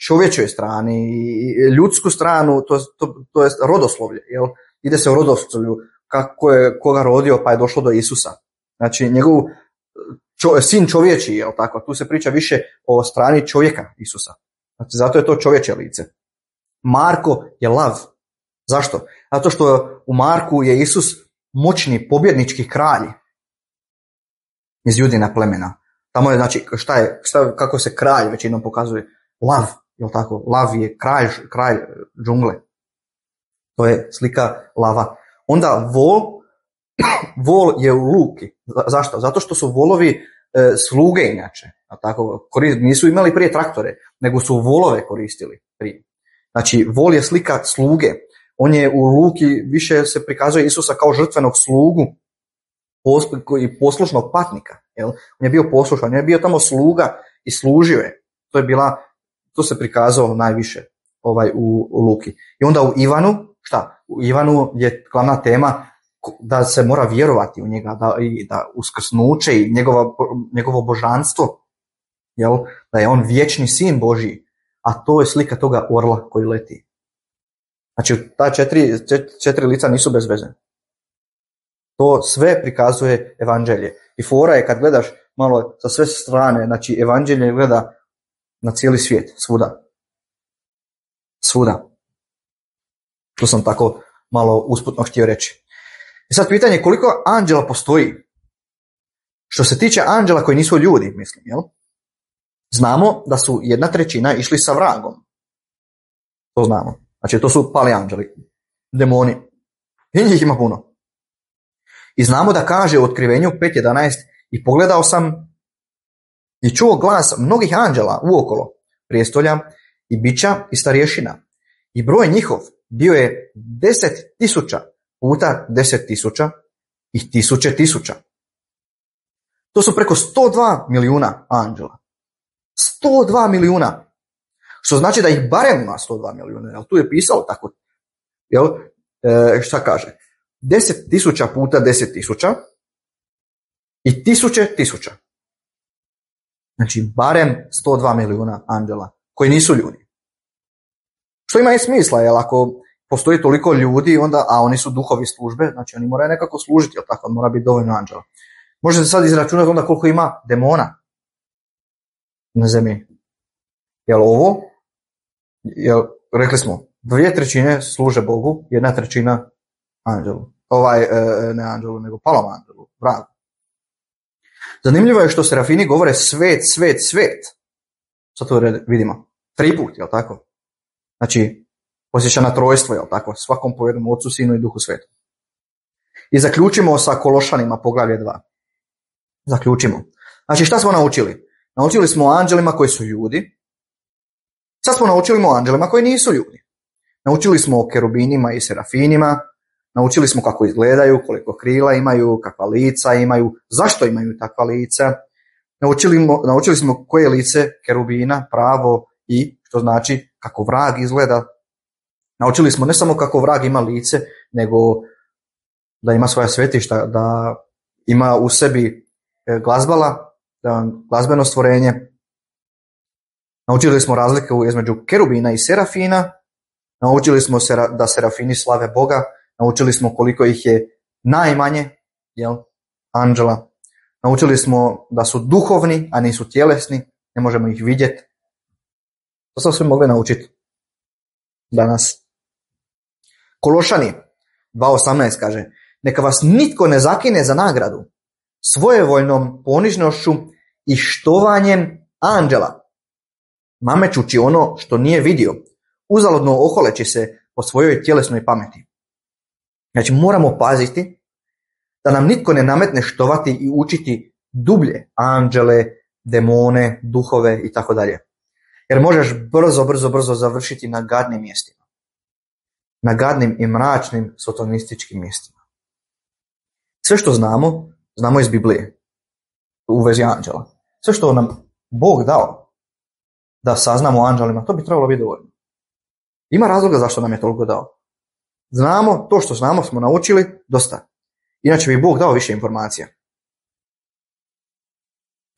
čovječoj strani i ljudsku stranu, to, to, to je rodoslovlje, jel? Ide se u rodoslovlju, kako je koga rodio pa je došlo do Isusa. Znači njegov čo, sin čovječi, jel tako? Tu se priča više o strani čovjeka Isusa. Znači zato je to čovječe lice. Marko je lav. Zašto? Zato što u Marku je Isus moćni pobjednički kralj iz Judina plemena. Tamo je, znači, šta je, šta, kako se kralj većinom pokazuje? Lav, jel tako? Lav je kralj, kralj džungle. To je slika lava. Onda vol, vol je u luki. Zašto? Zato što su volovi e, sluge inače. Tako, nisu imali prije traktore, nego su volove koristili prije. Znači, vol je slika sluge. On je u luki, više se prikazuje Isusa kao žrtvenog slugu i poslušnog patnika. Jel? On je bio poslušan, on je bio tamo sluga i služio je. To je bila, to se prikazao najviše ovaj, u, u Luki. I onda u Ivanu, šta? U Ivanu je glavna tema da se mora vjerovati u njega, da, i da uskrsnuće i njegova, njegovo božanstvo, jel? Da je on vječni sin Božji, a to je slika toga orla koji leti. Znači, ta četiri, četiri lica nisu bez veze. To sve prikazuje evanđelje. I fora je kad gledaš malo sa sve strane, znači evanđelje gleda na cijeli svijet, svuda. Svuda. To sam tako malo usputno htio reći. I sad pitanje koliko anđela postoji? Što se tiče anđela koji nisu ljudi, mislim, jel? Znamo da su jedna trećina išli sa vragom. To znamo. Znači to su pali anđeli, demoni. I njih ima puno. I znamo da kaže u Otkrivenju pet jedanaest i pogledao sam i čuo glas mnogih anđela uokolo prijestolja i bića i starješina. I broj njihov bio je deset tisuća puta deset tisuća i tisuće tisuća. To su preko sto dva milijuna anđela. sto dva milijuna. Što znači da ih barem ima sto dva milijuna. Jel? Tu je pisalo tako. Jel? E, šta kaže? deset tisuća puta deset tisuća i tisuće tisuća. Znači, barem sto dva milijuna anđela koji nisu ljudi. Što ima i smisla, jer ako postoji toliko ljudi, onda, a oni su duhovi službe, znači oni moraju nekako služiti, jel tako, mora biti dovoljno anđela. Možete sad izračunati onda koliko ima demona na zemlji. Jel ovo, jel, rekli smo, dvije trećine služe Bogu, jedna trećina anđelu. Ovaj, ne anđelu, nego palom anđelu, vragu. Zanimljivo je što serafini govore svet, svet, svet. Sad to vidimo. Tri put, jel tako? Znači, posjeća na trojstvo, jel tako? Svakom po jednom Otcu, Sinu i Duhu Svetu. I zaključimo sa Kološanima, poglavlje dva. Zaključimo. Znači, šta smo naučili? Naučili smo o anđelima koji su ljudi. Sad smo naučili o anđelima koji nisu ljudi. Naučili smo o kerubinima i serafinima, naučili smo kako izgledaju, koliko krila imaju, kakva lica imaju, zašto imaju takva lica. Naučili, naučili smo koje je lice kerubina, pravo i što znači kako vrag izgleda. Naučili smo ne samo kako vrag ima lice, nego da ima svoja svetišta, da ima u sebi glazbala, da glazbeno stvorenje. Naučili smo razliku između kerubina i serafina. Naučili smo da serafini slave Boga. Naučili smo koliko ih je najmanje, jel, anđela. Naučili smo da su duhovni, a nisu tjelesni. Ne možemo ih vidjeti. To smo sve mogli naučiti danas. Kološani dva osamnaest kaže: neka vas nitko ne zakine za nagradu svojevoljnom ponižnošću i štovanjem anđela, namećući ono što nije vidio, uzaludno oholeći se po svojoj tjelesnoj pameti. Znači moramo paziti da nam nitko ne nametne štovati i učiti dublje anđele, demone, duhove i tako dalje. Jer možeš brzo, brzo, brzo završiti na gadnim mjestima. Na gadnim i mračnim sotonističkim mjestima. Sve što znamo, znamo iz Biblije u vezi anđela. Sve što nam Bog dao da saznamo o anđelima, to bi trebalo biti dovoljno. Ima razloga zašto nam je toliko dao. Znamo, to što znamo smo naučili, dosta. Inače bi Bog dao više informacija.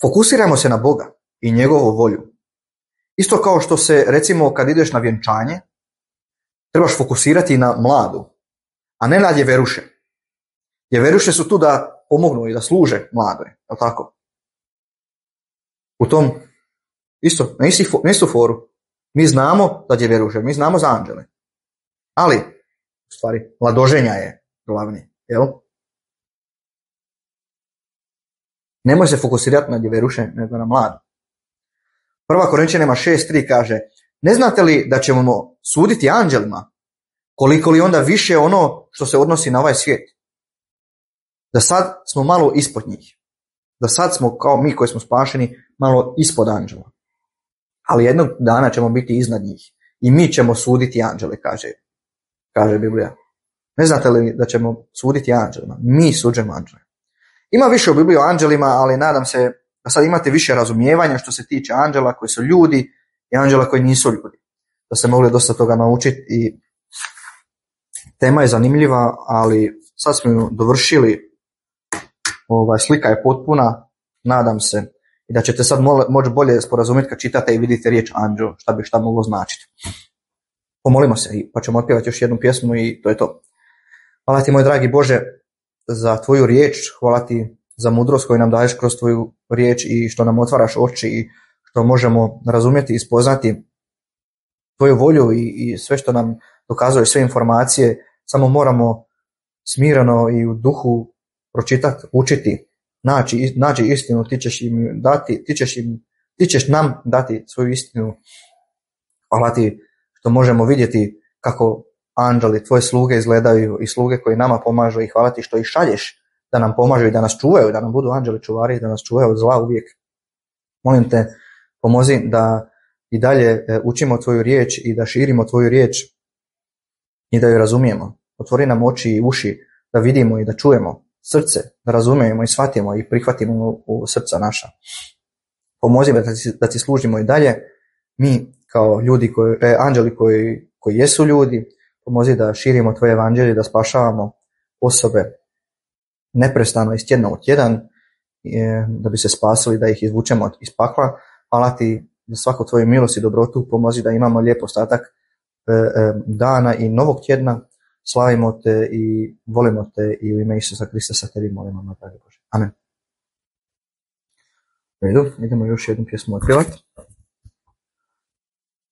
Fokusirajmo se na Boga i njegovu volju. Isto kao što se, recimo, kad ideš na vjenčanje, trebaš fokusirati na mladu, a ne na djeveruše. Djeveruše su tu da pomognu i da služe mladoj, je li tako? U tom, isto, na isti, na istu foru, mi znamo da djeveruše, mi znamo za anđele. Ali, u stvari, mladoženja je glavni, jel? Nemoj se fokusirati na djeveruše, nego na mladu. Prva Korinčanima šest tri kaže: ne znate li da ćemo suditi anđelima, koliko li onda više ono što se odnosi na ovaj svijet? Da sad smo malo ispod njih. Da sad smo, kao mi koji smo spašeni, malo ispod anđela. Ali jednog dana ćemo biti iznad njih. I mi ćemo suditi anđele, kaže, kaže Biblija. Ne znate li da ćemo suditi anđelima? Mi suđemo anđele. Ima više u Bibliji o anđelima, ali nadam se da sad imate više razumijevanja što se tiče anđela koji su ljudi i anđela koji nisu ljudi. Da ste mogli dosta toga naučiti i tema je zanimljiva, ali sad smo ju dovršili. Ovaj, slika je potpuna, nadam se, i da ćete sad moći bolje sporazumjeti kad čitate i vidite riječ anđeo, šta bi šta moglo značiti. Pomolimo se pa ćemo otpjevati još jednu pjesmu i to je to. Hvala ti, moj dragi Bože, za tvoju riječ, hvala ti za mudrost koju nam daješ kroz tvoju riječ i što nam otvaraš oči i što možemo razumjeti i spoznati tvoju volju i, i sve što nam dokazuje, sve informacije, samo moramo smireno i u duhu pročitati, učiti, naći, naći istinu, ti ćeš im dati, ti ćeš, im, ti ćeš nam dati svoju istinu. Hvala ti što možemo vidjeti kako anđeli, tvoje sluge izgledaju i sluge koji nama pomažu i hvala ti što ih šalješ da nam pomažu i da nas čuvaju, da nam budu anđeli čuvari, da nas čuvaju od zla uvijek. Molim te, pomozi da i dalje učimo tvoju riječ i da širimo tvoju riječ i da ju razumijemo. Otvori nam oči i uši da vidimo i da čujemo, srce da razumijemo i shvatimo i prihvatimo u, u srca naša. Pomozi da ti, da ti služimo i dalje, mi kao ljudi, koji, e, anđeli koji, koji jesu ljudi, pomozi da širimo tvoje evanđelje, da spašavamo osobe neprestano iz tjedna u tjedan, da bi se spasili, da ih izvučemo iz pakla. Hvala ti za svaku tvoju milost i dobrotu, pomozi da imamo lijep ostatak dana i novog tjedna. Slavimo te i volimo te i u ime Isusa Krista sa tebi molimo, na dragi Bože. Amen. U redu, idemo još jednu pjesmu otpjevati.